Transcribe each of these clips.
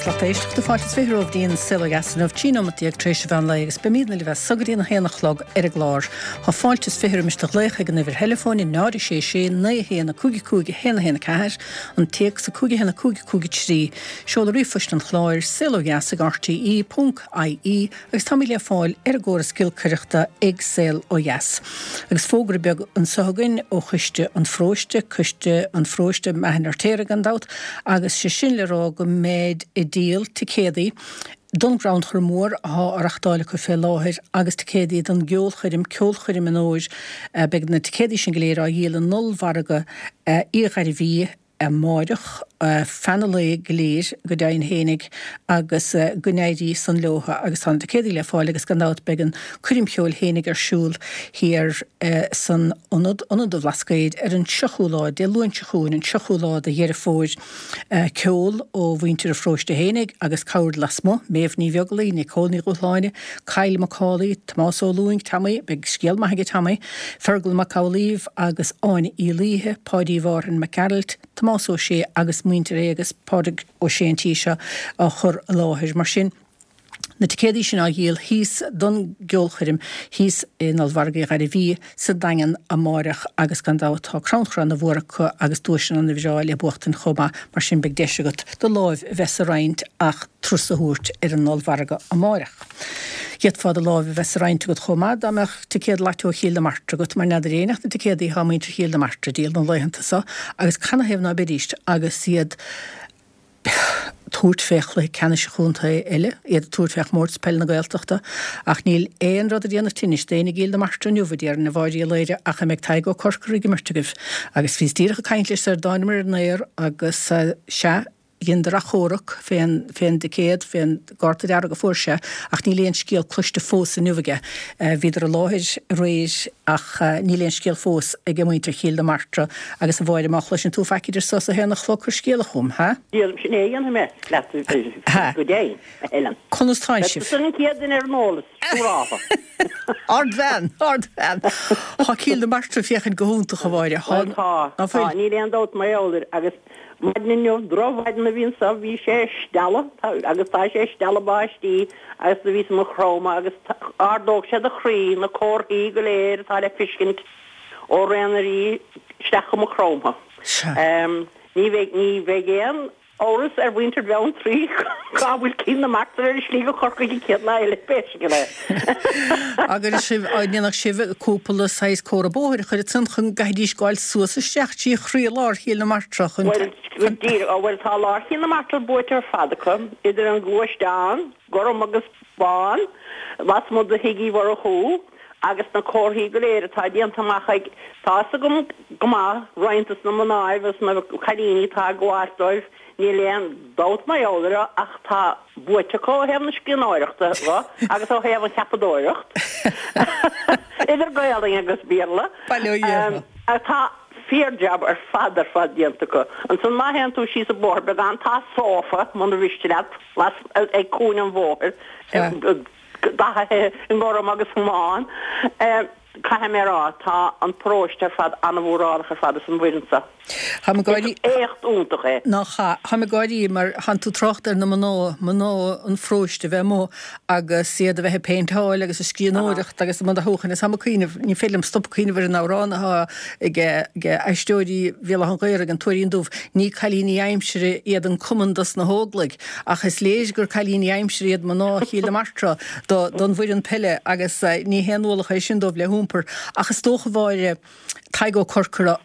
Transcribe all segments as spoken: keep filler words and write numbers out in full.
Agus lucht éisteachta fáilte is fiche romhaibh go dtí an Saol Ó Dheas inniu, trí nóimeat déag tar éis an mheán lae agus beimidne libh as so go dtí an a haon a chlog ar an gclár. Tá fáilte is fiche roimis do ghlaoch ag an uimhir theileafóin náid a sé sé naoi a haon a cúig a cúig a haon a haon a ceathair, an téacs a cúig a haon a cúig a cúig a trí, seoladh ríomhphoist an chláir, saolodheas ag rte ponc ie agus táimid le fáil ar an gcóras giolcaireachta ag Saol Ó Dheas. Agus fógra beag anseo againn ó Choiste an Pharóiste, Coiste an Pharóiste Machaire Fheirtéaraigh gan dabht, agus sé sin le rá go mbeid ag díol ticéadaí don gcrannchur mór athá á reachtáil acu fé láthair agus ticéadaí don gceolchoirm, Ceolchoirm an Fhómhair. Beidh na ticéadaí sin go léir á dhíol in Ollmhargadh Uí Ghairbhí amáireach, feadh an lae go léir, go deimhin fhéinig, agus go n-éirí san leotha agus tá na ticéadaí le fáil agus gan dabht beidh an coirm cheoil fhéinig ar siúl thiar san Ionad, Ionad an Bhlascaoid, ar an seachú lá, Dé Luain seo chugainn, an seachú lá de Dheireadh Fómhair. Ceol ó mhuintir an pharóiste fhéinig agus cabhair lasmuigh, Méabh Ní Bheaglaoí, Nicole Ní Dhúshláine, Kyle Mac Cawley, Tomás Ó Lúing, Tommy, beidh scéal maith aige Tommy, Fergal Mac Amhlaoibh agus Áine Uí Laoithe, Páidí Mhárthain Mac Gearailt, Tomás Ó Sé agus muintir Éagas, Pádraig Ó Sé an tí seo á chur i láthair. Mar sin, na ticéadaí sin á dhíol thíos don gceolchoirm thíos in Ollmhargadh Uí Ghairbhí sa Daingean amáireach agus gan dabht tá crannchur ana mhór acu agus duaiseanna ana bhreá le buachtaint chomh maith, mar sin beidh deis agat do láimh a bheith sa roinnt ach turas a thabhairt ar an ollmhargadh amáireach. D'fhéadfá do láimh a bheith sa roinnt agat chomh maith dá mbeadh ticéad Lató Chill na Martra agat, mar n'fheadar éinne ach na ticéadaí atá muintir Chill na Martra a dhíol na laethanta so agus canathaobh ná beidíst agus iad tabhairt fé chluiche ceannais an chontae eile, iad ag tabhairt fé chomórtas peile na Gaeltachta. Ach níl aon rud ag déanamh tinnis d'éinne i gCill na Martra inniu, a déarfainn, a Mháire Uí Laoire, ach a mbeidh Tadhg Ó Corcora ag imirt agaibh. Agus bhíos díreach ag caint leis sar a dtánamar ar an aer agus sea, dheineadar achomharc fén, fén dticéad, fén gcárta dearg a fuair sé, ach níl aon scéal cloiste fós inniu aige. Bhíodar i láthair aréir ach níl aon scéal fós ag muintir Chill na Martra. Agus a Mháire, má chloiseann tú faic idir so is a haon a chlog, cuir scéala chugam, ha? Déarfainn sin é a dhéanfaidh mé leat go deimhin, a Helen. Conas tánn sibh? Beidh tusa an chéad duine ar an eolas, siúrálta. Ardbhean! Ardbhean! Tá Cill na Martra ag féachaint go hiontach, a Mháire. Bhuel tá, tá, níl aon dabht mar gheall air agus Maidin inniu, drochmhaidin a bhí anso, bhí sé ag stealladh, agus tá sé ag stealladh báistí, agus do bhíos i Maigh Chromtha, agus ardódh sé do chroí, na comharthaí go léir atá le fiscint ó Ré na Rí isteach go Maigh Chromtha. Ní bheidh, ní bheidh aon amhras ar mhuintir Bheanntraí cá bhfuil Cill na Martra ar a slí go Corcaigh an chéad lá eile, pé scéal é. Agus sibh, an ndéanfadh sibh cúpla saghas comhartha bóthair a chur ansan chun go gcaithfidís gabháil suas isteach trí chroí-lár Chill na Martra chun. Bhuel, go díreach, á bhuel tá lár Chill na Martra buaite ar fad acu, idir an gluaisteán, gorm agus bán, lasmuigh de Thigh Uí Mhurchú, agus na comharthaí go léir atá déanta amach ag, tá fhios agam go maith, roinnt dos na mnáibh agus na cailíní atá ag gabháilt dóibh, níl aon dabht mar gheall air ach tá buaite acu ó thaobh na scríbhneoireachta dho agus ó thaobh an cheapadóireacht, idir Gaolainn agus Béarla. Bail ó Dhia orthu. Tá fíor-jab ar fad ar fad déanta acu. Ansan má théann tú síos an bóthar beagán tá sófa, muna mhiste leat, las ag cúinne an bhóthair, dathaithe i ngorm agus i mbán. Caithfidh mé a rá, tá an paróiste ar fad an-mhórálach ar fad as an bhfoireann seo. Táim ag gáirí. Is éacht iontach é. Nach ea. Táim ag gáirí mar thánn tú ag trácht ar na mná, mná an pharóiste a bheith amuigh agus iad a bheith ag péinteáil agus ag scríbhneoireacht agus i mbun dathúcháin agus táim ag cuimhneamh, ní féidir liom stop ag cuimhneamh ar an amhrán atá ag Aisteoirí Bhéal Átha an Ghaorthaidh, An Tuairín Dubh, ní cailíní aimsire iad an cumann dos na hÓglaigh. Ach is léir gur cailíní aimsire iad mná Chill na Martra don bhfoireann peile agus ní haon ualach é sin dóibh le hiompar. Ach is dócha, a Mháire, Tadhg Ó Corcora,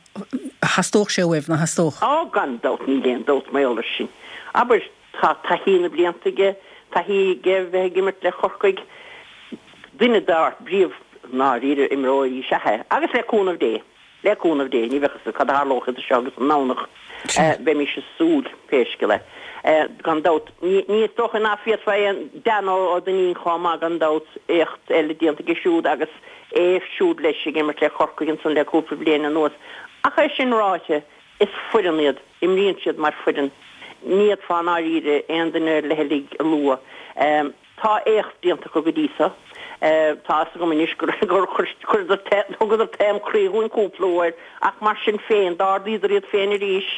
theastódh sé uaibh, nach theastódh? Á, gan dabht, níl aon dabht mar gheall air sin. Abair, tá taithí na blianta aige, taithí aige a bheith ag imirt le Corcaigh, duine dár bpríomh, ndáiríre, imreoirí is ea é, agus le cúnamh Dé. Le cúnamh Dé, ní bheadh fhios cad a tharlódh idir seo agus an nDomhnach. Beimis ag súil, pé scéal é. Gan dabht, ní is dócha ná féadfá aon Dan Ó Duinnín chomh maith, gan dabht, éacht eile déanta aige siúd agus é siúd leis ag imirt le Corcaigh ansan le cúpla bliain anuas. Ach é sin ráite, is foireann iad, imríonn siad mar foireann. Ní fhéadfá i ndáiríre aon duine leithligh a lua. Tá éacht déanta acu go dtí so. Tá fhios agam anois gur chuireadar, thugadar taom croí dhúinn cúpla uair ach mar sin féin, d'ardaíodar iad féin arís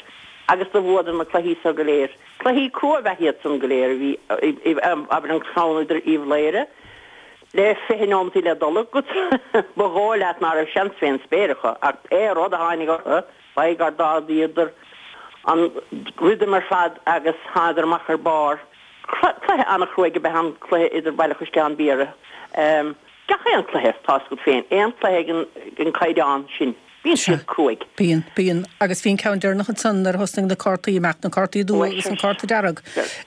Agus do bhuadar na cluichí so go léir. Cluichí crua ab ea iad san go léir, a bhí, abair an ceann idir Uíbh Laoghaire le fiche nóimeataí le dul agat, ba dhóigh leat ná raibh seans fén spéir acu, ach pé rud a tháinig orthu, ba é gur d'ardaíodar an rhythm ar fad agus thánadar amach ar barr. Cluiche an-chruaidh ab ea an cluiche idir Baile Chaisleáin Biorra. Gach aon chluiche, tá's agat féin, aon chluiche den chaighdeán sin, bíonn siad cruaidh. Bíonn, bíonn. Agus bhí an ceann deireanach ansan nuair a thosnaigh na cártaí amach, na cártaí dubha agus an cárta dearg.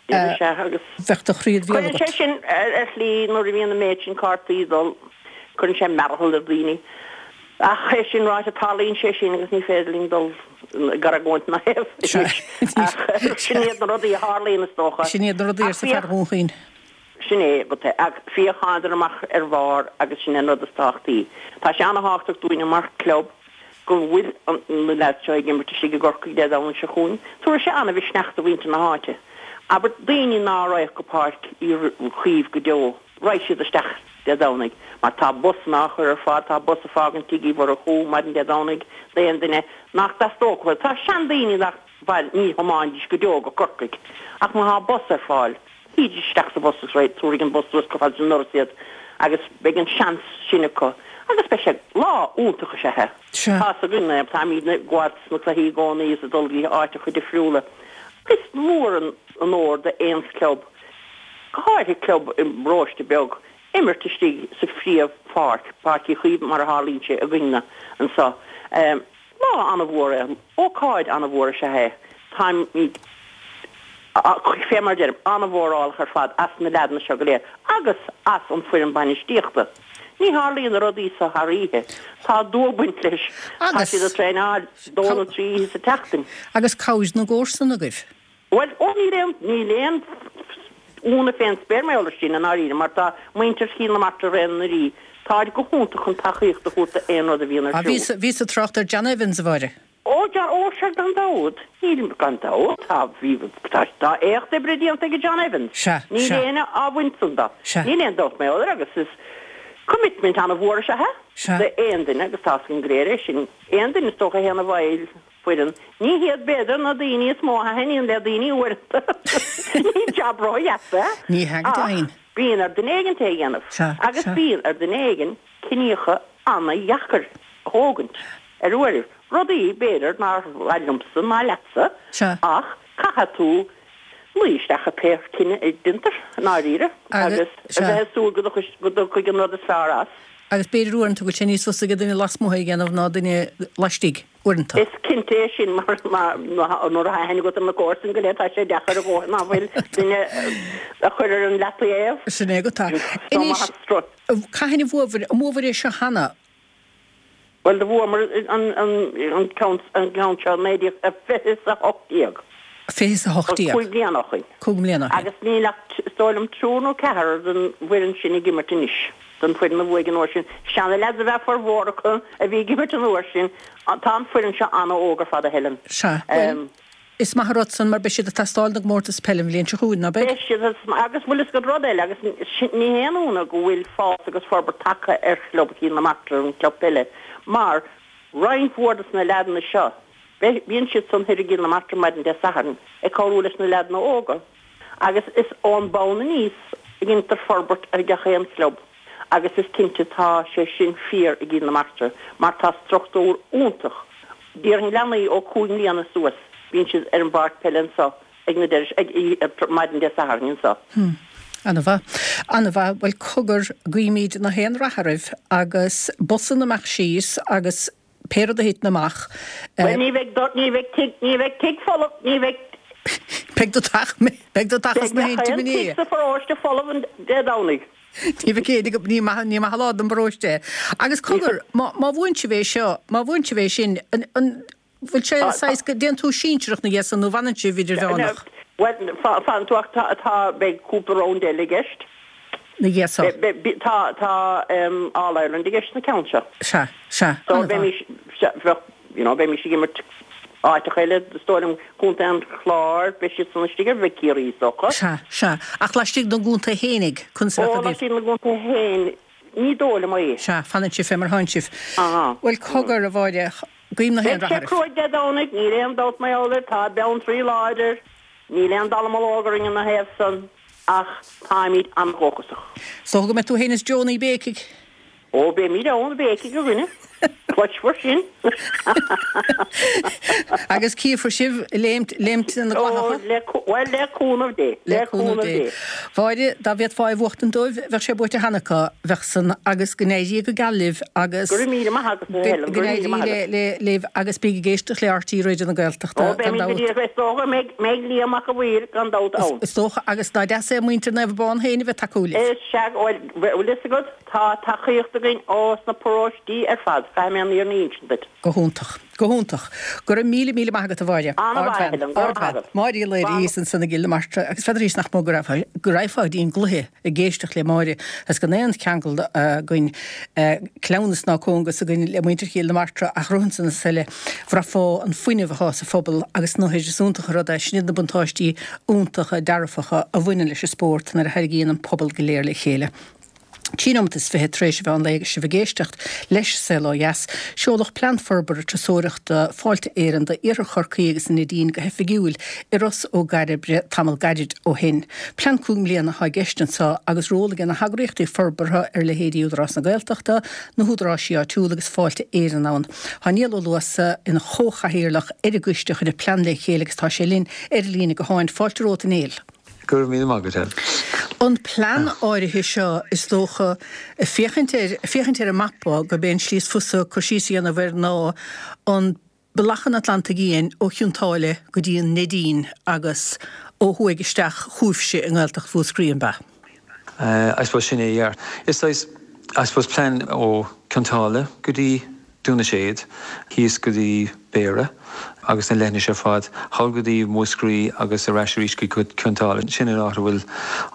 Bheadh do chroí id bhéal agat. Cuireann sé sin, ar shlí, nuair a bhíonn an méid sin cártaí ag dul, cuireann sé mearathal ar dhaoine. Ach é sin ráite, tarlaíonn sé sin agus ní féidir linn dul ag argóint ina thaobh anois. Ach sin iad na rudaí a tharlaíonn, is dócha. Sin iad na rudaí, arsa fear Dhún Chaoin. Sin é, ach féach, thánadar amach ar bharr agus sin é an rud is tábhachtaí. Tá sé an-thábhachtach dúinne mar chlub go bhfuil na leaids seo ag imirt istigh i gCorcaigh Dé Domhnaigh seo chugainn. Tabharfaidh sé an-mhisneach do mhuintir na háite. Abair, daoine ná raghadh go Páirc Uí Chaoimh go deo, raghaidh siad isteach Dé Domhnaigh mar tá busanna á chur ar fáil, tá bus ag fágaint Tigh Uí Mhurchú maidin Dé Domhnaigh d'aon duine nach dteastódh uathu. Tá seandaoine nach, bhuel, ní thiomáinfidís go deo go Corcaigh ach má thá bus ar fáil, Shuídís isteach sa bhus agus tabharfaidh an bus suas chomh fada leis an ndoras iad agus beidh an seans sin acu agus beidh sé, lá iontach is ea é. Tá's againn é, táimidne ag gabháil sna cluichí i gcónaí is ag dul go áiteacha difriúla. Is mór an onóir d'aon chlub, go háirithe club i bparóiste beag, imirt istigh sa phríomhpháirc, Páirc Uí Chaoimh mar a tharlaíonn sé againne anseo. Lá an-mhór é, ócáid an-mhór is ea é. Táimid, fé mar a deirim, an-mhórálach ar fad as na leaideanna seo go léir agus as an foireann bainistíochta. Ní tharlaíonn na rudaí seo thar oíche. Tá dua ag baint leis. Tá siad ag traenáil dó nó trí oíche sa tseachtain. Agus cabhair na gcomharsan agaibh. Bhuel, ó níl aon, níl aon ionadh fén spéir mar gheall air sin i ndáiríre mar tá muintir Chill na Martra Réan na Rí, táid go hiontach chun tacaíocht a thabhairt d'aon rud a bhíonn ar siúl. Bhíos, bhíos ag trácht ar John Evans, a Mháire. Ó, John, ó sea gan dabht, níl, gan dabht, tá, bhí, tá, tá éacht oibre déanta ag John Evans. Sea, Níl sea. éinne á bhaint san de. Sea. Níl aon dabht mar gheall air agus is commitment an-mhór is ea é Sea. d'aon duine agus tá's againn go léir é sin. Aon duine is dócha a théann i bhfeighil foireann. Ní hiad b'fhéidir na daoine is mó a thaitníonn le daoine uaireanta. Ní jab ródheas é. Ní hea go deimhin. Ach bíonn ar duine éigin é a dhéanamh. Sea, Agus sea. bíonn ar duine éigin cinníocha ana-dheacair a thógaint ar uairibh. Rudaí, b'fhéidir, nár mhaith liomsa ná leatsa, Sea. ach caithfidh tú luí isteach i pé cinneadh a deintear, i ndáiríre, Agus, agus a sea. bheith ag súil go dtiocfaidh an rud is fearr as. Agus b'fhéidir uaireanta go bhfuil sé níos fusa ag duine lasmuigh é a dhéanamh ná duine laistigh, uaireanta. Is cinnte é sin mar nuair atá aithne agat ar na comharsain go léir tá sé deacair a dhóthain ná fuil duine a chur ar an leataobh. Sin é agat. Anois, cathain a bhuabhair, an mbuabhair é seo cheana? Bhuel, do bhuamar an ceann seo naoi déag fiche is a hocht déag. Fiche is a hocht déag. Cúig bliana ó shoin. Cúig mbliana ó shoin. Agus níl ach, is dóigh liom, triúr nó ceathrar den bhfoireann sin ag imirt anois, den bhfoireann a bhuaigh an uair sin. Seana-leaids ab ea formhór acu a bhí ag imirt an uair sin. Tá an foireann seo an-óg ar fad, a Helen. Sea. Bhuel, is maith an rud san mar beidh siad ag teastáil don gcomórtas peile an bhliain seo chugainn, ná beidh? Beidh siad, agus bhfuil fhios agat rud eile, agus ní haon ionadh go bhfuil fás agus forbairt tagtha ar chlub Chill na Martra, an club peile, mar roinnt mhór de na leaideanna seo, Bíonn siad san thoir i gCill na Martra maidin Dé Sathairn ag cabhrú leis na leaideanna óga agus is ón mbonn aníos a dheintear forbairt ar gach aon chlub agus is cinnte tá sé sin fíor i gCill na Martra mar tá struchtúr iontach, déarfainn leanaí ó cúig mbliana suas bíonn siad ar an bpáirc peile anso ag na deireadh ag maidin Dé Sathairn anso. Hmm. Ana-mhaith. Ana-mhaith. Bhuel cogar, guímid na haon rath oraibh agus bosanna amach síos agus Pé rud a thiteann amach. Bhuel, ní bheidh, ní bheidh tigh, ní bheidh tigh folamh, ní bheidh. Beidh do theach, beidh do theach is na Beidh haon gach aon ina tigh dhiaidh. sa pharóiste folamh an Dé Domhnaigh. Ní bheidh éinne go, ní maith, ní maith an lá don bparóiste é. Agus cogar, má, má bhuann sibh é seo, má bhuann sibh é sin, an, an bhfuil sé saghas go dtéann tú sinsearach ina dhiaidh san nó fanann sibh idirmheánach? Bhuel, fanann tú ach tá, tá, beidh cúpla round eile i gceist. Na dhiaidh so. Tá, tá All Ireland i gceist sa ceann seo. Sea, sea, So an-mhaith. bheimis, sea, bheadh, you know, bheimis ag imirt áiteacha eile, is dóigh liom, Contae an Chláir, beidh siad san istigh ar bheidh Ciarraí, is dócha. Sea, sea. Ach laistigh den gcontae fhéinig, conas a Ó, bheadh agaibh? laistigh den gcontae féin, ní dóigh liom é. Sea, fanann sibh fé mar thánn sibh. Aha. Bhuel, cogar, a Mháire, Guím na haon Beidh sé rath oraibh. cruaidh Dé Domhnaigh, níl aon dabht mar gheall air, tá Beanntraí láidir, níl aon dallamullóg orainn ina thaobh san, ach táimid an-dhóchasach. Is dócha go mbeidh tú féin is Joe ag béicigh. Ó, beimid ann ag béicigh, a dhuine. Cloisfear sin. Agus cífear sibh léimt, léimt na Ó, gclathacha. le, bhuel, le cúnamh Dé, Le le cúnamh cúnamh Dé. Dé. Mháire, dá bhféadfá é a bhuachtaint dóibh, bheadh sé buaite cheana acu, bheadh san, agus go n-éirí go geal libh agus. Go raibh míle maith agat, a Helen, Go go raibh míle n-éirí maith le, agat. le, libh agus bígí ag éisteacht le RTÉ Raidió na Gaeltachta, Ó, gan beimid go dabht. díreach, is dócha go mbeidh, mbeidh Liam Mac a' Mhaoir gan dabht ann. Is dócha, agus nach deas é muintir Naomh Abán féin a bheith ag tacú libh. Is sea, bhuel, bhfuil fhios agat, tá tacaíocht againn ó sna paróistí ar fad, caithfidh mé an fhírinne a insint duit. Go hiontach. Go hiontach. Go raibh míle míle maith agat a Mháire. An-mhaith, Helen, go raibh maith agat. Máire Uí Laoire ansan i gCill na Martra agus n'fheadar nach mó go raibh go raghfá go dtí an gcluiche ag éisteacht le Máire agus gan aon cheangal againn cleamhnas ná cóngas againn le muintir Chill na Martra ach rothansan is eile bhraithfeá an fuinneamh atá sa phobal agus na is iontach an rud é sin iad na buntáistí iontacha dearfacha a bhaineann leis an spórt nuair a tharraingíonn an pobal go léir le chéile. Trí nóiméad is fiche tar éis an mheán lae agus sibh ag éisteacht leis Saol Ó Dheas. Seoladh plean forbartha turasóireachta Fáilte Éireann d'Iarthar Chorcaí agus an Neidín go hoifigiúil i Ros Ó gCairbre tamall gairid ó shin. Plean cúig mbliana atá i gceist anseo agus ról ag na heagraíochtaí forbartha ar leithéidí Údarás na Gaeltachta, na húdaráis áitiúla agus Fáilte Éireann ann. Tá Niall Ó Luasa ina chomhchathaoirleach ar an gcoiste a chuir an plean le chéile agus tá sé linn ar líne gutháin Fáilte romhat a Néill. Go raibh míle maith agat. An plean áirithe seo is dócha féachaint ar féachaint ar an mapa go b'é an slí is fusa cur síos a dhéanamh air ná an bealach an Atlantaigh Fhiáin ó Chionn tSáile go dtí an Neidín agus ó thuaidh isteach chugaibhse i nGaeltacht Mhúscraí an bea. Uh, I suppose sin é yeah. Is saghas I suppose plean ó Cionn tSáile go dtí Dún na Séad, thíos go dtí Béarra agus na leithinis ar fad, thall go dtí Múscraí agus ar ais arís go Cionn tSáile. Sin an áit a bhfuil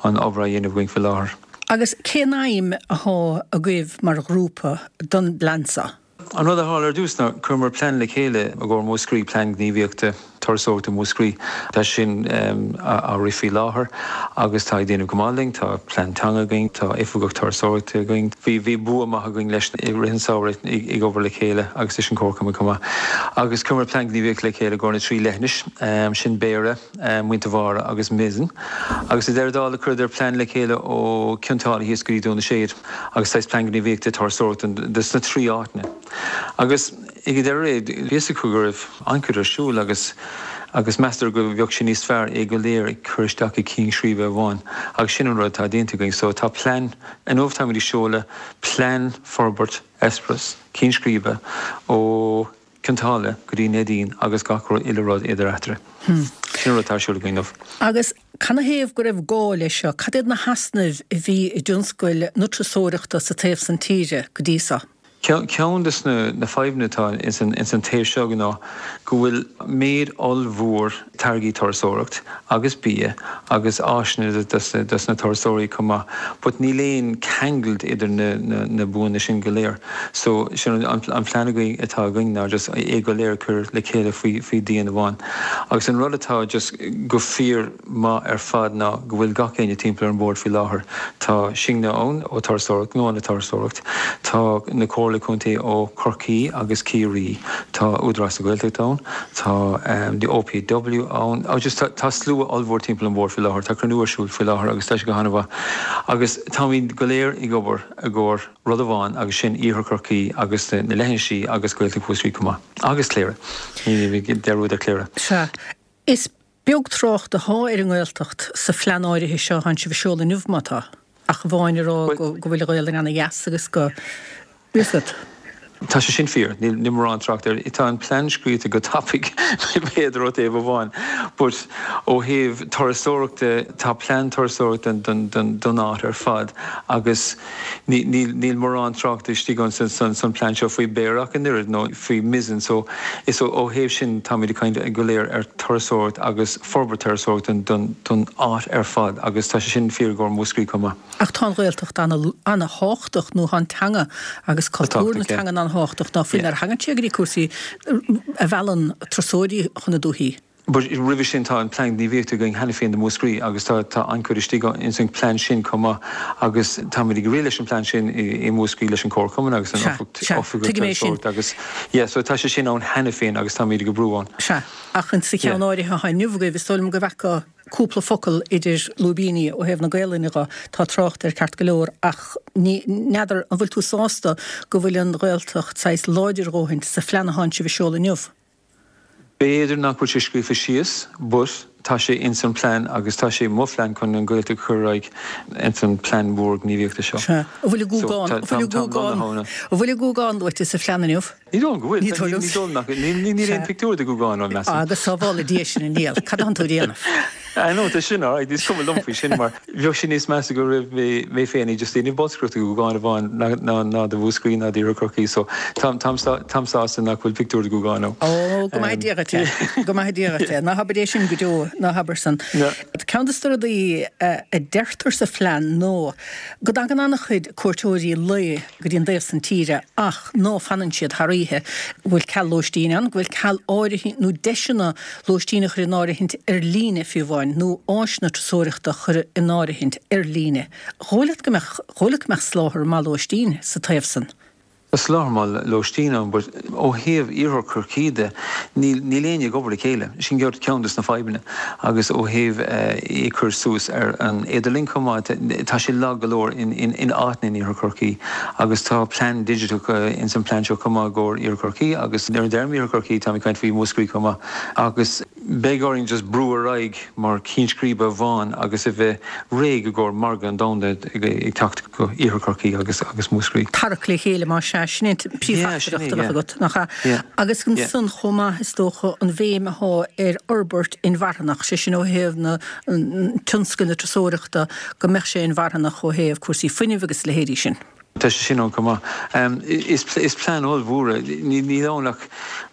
an obair á dhéanamh againn faoi láthair. Agus cén aidhm atá agaibh mar ghrúpa don bplean seo? An rud a tharla ar dtús ná chuireamar plean le chéile i gcomhair Múscraí plean gníomhaíochta turasóireachta Múscraí. Tá sin um, á rith faoi láthair agus tá déanamh go maith linn, tá plean teanga againn, tá oifigeach turasóireachta againn. Bhí bhí bua maith againn leis i rith an tsamhraidh ag obair le chéile agus leis an comharchumann chomh maith. Agus chuireamar plean gníomhaíochta le chéile go na trí leithinis, um, sin Béarra, um, Muintir Bháire agus Mizen. Agus i ndeireadh dála chuireadar plean le chéile ó Cionn tSáile thíos go dtí Dún na Séad agus tá plean gníomhaíochta turasóireachta dos na trí áiteanna. Agus ag deireadh bhí go raibh an-chuid ar siúl agus agus meastar go bheadh sé níos fearr é go léir ag cur isteach i gceann scríbe amháin agus sin an rud atá déanta againn, so tá plean inniu táimid ag seoladh plean forbairt eispéireas ceann scríbe ó Cionn tSáile go dtí Neidín agus gach uile rud idir eatarthu. Hmm. Sin rud atá ar siúl againn inniu. Agus canathaobh go raibh gá leis seo, cad iad na heasnaimh a bhí i dtionscal na turasóireachta sa taobh san tíre go dtí seo? Ceann de na, na fadhbanna atá ins an, ins an taobh seo ná go bhfuil méid ollmhór táirgí turasóireacht agus bia agus áiseanna dos, dos na turasóirí chomh maith, but níl aon cheangal idir na, na, na buanna sin go léir. So sin an, an plean againn atá againn ná just é go léir cur le chéile faoi faoi díon amháin. Agus an rud atá just go fíor maith ar fad ná go bhfuil gach éinne timpeall ar an bord faoi láthair. Tá Synge ann ó turasóireacht nó na turasóireacht, Tá na Comhairle Contae ó Chorcaí agus Ciarraí Tá Údarás na Gaeltachta ann, tá um, the OPW ann oh, just tá, tá slua ollmhór timpeall an bord faoi láthair, tá cruinniú ar siúl faoi láthair agus tá sé go han-mhaith. Agus táimid go léir ag obair i gcomhair rud amháin agus sin Iarthar Chorcaí agus na, na leithinisí agus Gaeltacht Mhúscraí chomh maith. Agus Cléire. Ní dearúd ar Chléire. Sea, is beag trácht atá ar an nGaeltacht sa phlean áirithe seo atá sibh a sheoladh inniu má tá. Ach amháin a rá go go bhfuil Gaelainn ana-dheas agus go Bísat. Tá sé sin fíor, níl ní mórán trácht air tá an plean scríte go tapaidh b'fhéidir ó thaobh amháin, but ó thaobh turasóireachta tá plean turasóireachta don, don, don áit ar fad agus níl níl mórán trácht istigh ann san, san, san plean seo faoi Béarra ach an oiread nó faoi Mizen, so is ó ó thaobh sin táimid ag caint go léir ar turasóireacht agus forbairt turasóireacht don, don áit ar fad agus tá sé sin fíor go Múscraí chomh maith. Ach tá an Ghaeltacht an-tábhachtach nó an teanga agus cultúr na teanga an-tábhachtach ná faoin ar thagann sé go dtí cúrsaí a mheallann turasóirí chun na dúichí. But roimhe sin tá an plean gníomhaíochta againn cheana féin do Mhúscraí agus tá tá an-chuid istigh ins an plean sin chomh maith agus táimid ag rith leis an plean sin i i Múscraí leis an Comharchumann agus an Oifig Turasóireachta agus yeah so tá sé sin ann cheana féin agus táimid ag oibriú ann. Sea, ach in sa cheann áirithe atá inniu agaibh is dóigh liom go bhfeicfeá cúpla focal idir lúibíní ó thaobh na Gaelainne dhe, tá trácht air ceart go leor ach ní n'fheadar an bhfuil tú sásta go bhfuil an Ghaeltacht saghas láidir a dhóthaint sa phlean atánn sibh a seoladh inniu? B'fhéidir nach bhfuil sé scríofa síos, but tá sé ins an plean agus tá sé mo phlean chun an Ghaeltacht a chur ar aghaidh ins an plean mór gníomhaíochta seo. Sea. An bhfuil an Gúgán, an bhfuil an Gúgán, an bhfuil an Gúgán luaite sa phlean inniu? Ní dóigh liom go bhfuil. Ní dóigh liom. Ní dóigh liom nach, níl aon pictiúr de Ghúgán ann, measaim. Agus sábhála Dia sinn a Niall, cad atánn tú a dhéanamh? I know, tá sin alright, is cuma liom faoi sin mar bheadh sé níos measa go raibh mé mé féin just ag déanamh bolscaireacht do Ghúgán amháin ná ná do Mhúscraí ná d'Iarthar Chorcaí so táim táim táim sásta nach bhfuil pictiúr de Ghúgán ann. Ó, go maithe Dia dhuit é, go maithe Dia dhuit é. Ná habair é sin go deo, ná habair san. Ceann de na rudaí a deirtear sa phlean ná go dtagann an-chuid cuairteoirí lae go dtí an dtaobh san tíre ach ná fanann siad thar oíche, go bhfuil ceal lóistín ann, go bhfuil ceal áirithint nó deiseanna lóistín a chur in áirithint ar líne fiú amháin nó áiseanna turasóireachta a chur in áirithint ar líne. Dhóigh leat go mbeadh, dhóigh leat go mbeadh soláthar maith lóistín sa taobh san? Tá soláthar maith lóistín ann but ó thaobh Iarthar Chorcaí de níl níl éinne ag obair le chéile. Sin ceann des na fadhbanna agus ó thaobh é a chur suas ar an idirlíon chomh maith tá sé lag go leor in in in áiteanna in Iarthar Chorcaí agus tá plean digiteach ins an plean seo chomh maith i gcomhair Iarthar Chorcaí agus nuair a deirim Iarthar Chorcaí táim ag caint faoi Mhúscraí chomh maith agus beidh orainn just brú ar aghaidh mar cheann scríbe amháin agus a bheith réidh i gcomhair margadh an domhanda ag teacht go Iarthar Chorcaí agus agus Múscraí. Tarrac le chéile más ea, sin é an príomhtheachtaireacht a bheadh agat, nach ea? Agus ansan chomh maith is dócha an bhéim atá ar fhorbairt inmharthanach, sé sin ó thaobh na tionscail na turasóireachta, go mbeadh sé inmharthanach ó thaobh cúrsaí fuinnimh agus a leithéidí sin. Tá sé sin ann chomh maith. Is plean ollmhór é. Níl ann ach,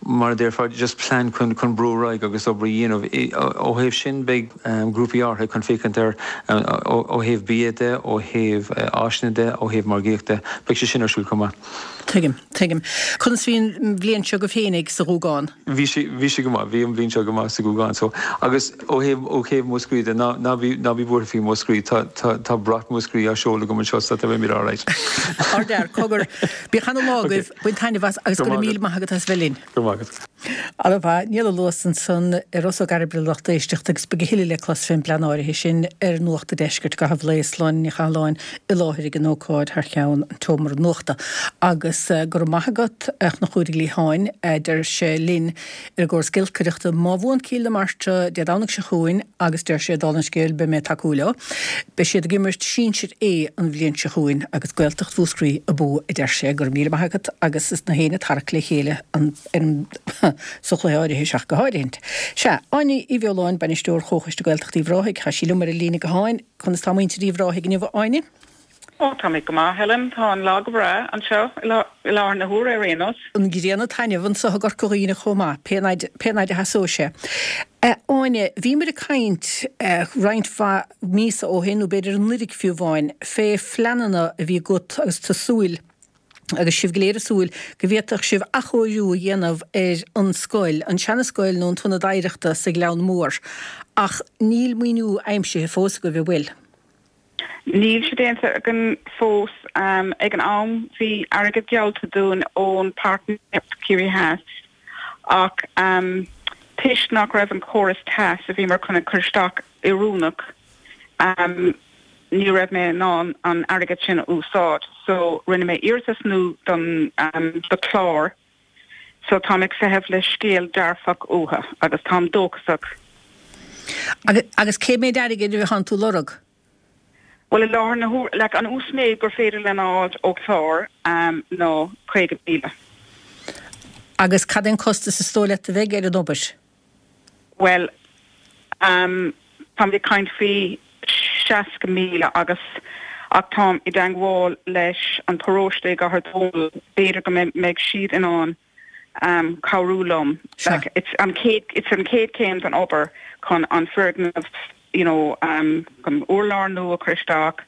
mar a déarfá, just plean chun chun brú ar aghaidh agus obair a dhéanamh. Ó thaobh sin beidh grúpaí áirithe chun féachaint air ó thaobh bia de, ó thaobh áiseanna de, ó thaobh margaíochta. Beidh sé sin ar siúl chomh maith. Tuigim, tuigim. Conas bhí an bhliain seo agaibh féinig sa Ghúgán? Bhí sé, bhí sé go maith. Bhí an bhliain seo go maith sa Ghúgán. So, agus ó thaobh, ó thaobh Mhúscraí de, ná, ná bí, ná bí buartha faoi Mhúscraí. Tá, tá, tá brat Mhúscraí á seoladh agam anseo so tá beimid alright. Ardfhear, cogar. Bíodh ana lá agaibh, bain taitneamh as agus go raibh míle maith agat as bheith linn. Go raibh maith agat. Ana mhaith. Niall Ó Luasa ansan ar Ros Ó gCairbre lucht éisteachta agus beidh a thuilleadh le clos fén bplean áirithe sin ar Nuacht an Deiscirt i gcaitheamh lae Sláine Ní Chathalláin i láthair ag an ócáid thar cheann an tseomra nuachta. Agus go raibh maith agat a Chonchúir Uí Liatháin, a deir sé linn ar an gcóras giolcaireachta má bhuann Cill na Martra Dé Domhnaigh seo chugainn agus deir sé dála an scéil beidh mé ag tacú leo. Beidh siad ag imirt Sinsir A an bhliain seo chugainn agus Gaeltacht Mhúscraí abú, a deir sé. Go raibh míle maith agat agus is na héinne tarrac le chéile an ar an sa chluiche áirithe seo ach go háirithint. Sea, Áine Uí Bheoláin, Bainisteoir Chomhchoiste Gaeltachta Uíbh Ráthaigh, tá sí liom ar an líne gutháin. Conas tá muintir Uíbh Ráthaigh inniu, a Áine? Ó, táimid go maith, Helen. Tá an lá go breá anseo i láthair na huaire ar aon nós. An ghrian ag taitneamh anseo i gCorca Dhuibhne chomh maith, pé fhaid, pé fhaid a sheasóidh sé. A Áine, bhíomar ag caint roinnt mhaith míosa ó shin, nó b'fhéidir anuraidh fiú amháin, fé phleananna a bhí agat agus tú ag súil, agus sibh go léir ag súil go bhféadfadh sibh athchóiriú a dhéanamh ar an scoil, an seana-scoil nó an t-ionad oidhreachta sa Ghleann Mór. Ach níl maoiniú aimsithe fós agaibh, an bhfuil? Níl sé déanta againn fós. Ag an am bhí airgead geallta dúinn ón Páirtnéireacht Ciarraí Theas ach toisc nach raibh an córas teas a bhíomar chun a chur isteach oiriúnach, ní raibh mé in ann an airgead sin a úsáid so rinne mé iarratas nua don do clár so táim ag feitheamh le scéal dearfach uathu agus táim dóchasach. Agus cé méid airgid a bhíonn tú ag lorg? Bhuel i láthair na huaire, like an uasmhéid gur féidir linn a fháilt ó chlár ná caoga míle. Agus cad é an costas is dóigh leat a bheidh ar an obair? Bhuel, táimid ag caint faoi seasca míle agus ach táim i dteangmháil leis an paróiste i gCathair Dónall, b'fhéidir go mbeidh siad in ann cabhrú liom. Like, it's an chéad, it's an chéad chéim den obair chun an foirgneamh, you know, chun urlár nua a chur isteach,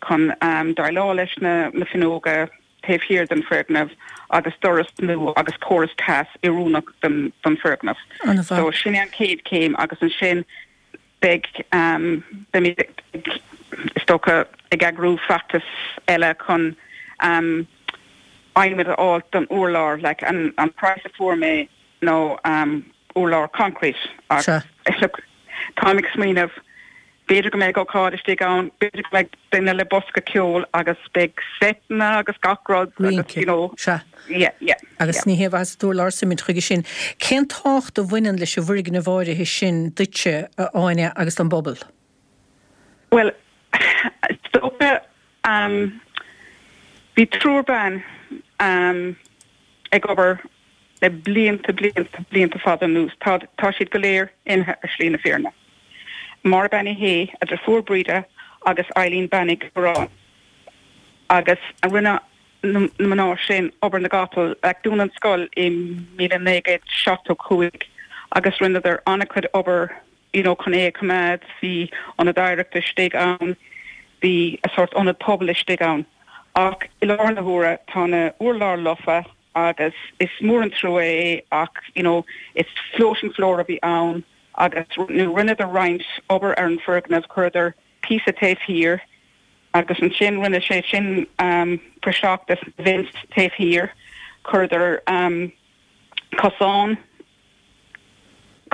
chun déileáil leis na, na fuinneoga, taobh thiar den foirgneamh agus doras nua agus córas teas oiriúnach don don foirgneamh. So sin é an chéad céim agus ansin beidh um, beimid is dócha ag eagrú feachtas eile chun um, adhmad a fháil don urlár like an an price a fuair mé nó um, urlár concrete Sea. look táim ag smaoineamh b'fhéidir go mbeidh ócáid istigh ann b'fhéidir go mbeidh duine le bosca ceoil agus beidh seiteanna agus gach rud agus you know Sea. yeah yeah Agus yeah. ní hé bheas urlár suimint chuige sin. Cén tábhacht a bhaineann leis an bhfoirgneamh áirithe sin duitse a Áine agus don bpobal? Well is dócha um, bhí triúr ban um, ag obair le blianta blianta blianta fada anuas tá tá siad go léir imithe ar shlí na fírinne. Máire Bean Uí Shé a deirfiúr Breda agus Eileen Bean Uí Churráin. Agus a rinne na na mná sin obair na gcapall ag dúnadh an scoil i míle naoi gcéad seachtó cúig agus rinneadar an-chuid obair you know, chun é a choimeád bhí ionad oidhreachta istigh ann, bhí a sort ionad pobail istigh ann. Ach i láthair na huaire tá na urlár lofa agus is mór an trua é ach you know, it's floating floor a bhí ann agus nó rinneadar roinnt obair ar an foirgneamh chuireadar píosa taobh thiar agus ansin rinne sé sin um, praiseach des na vents taobh thiar chuireadar um, cosán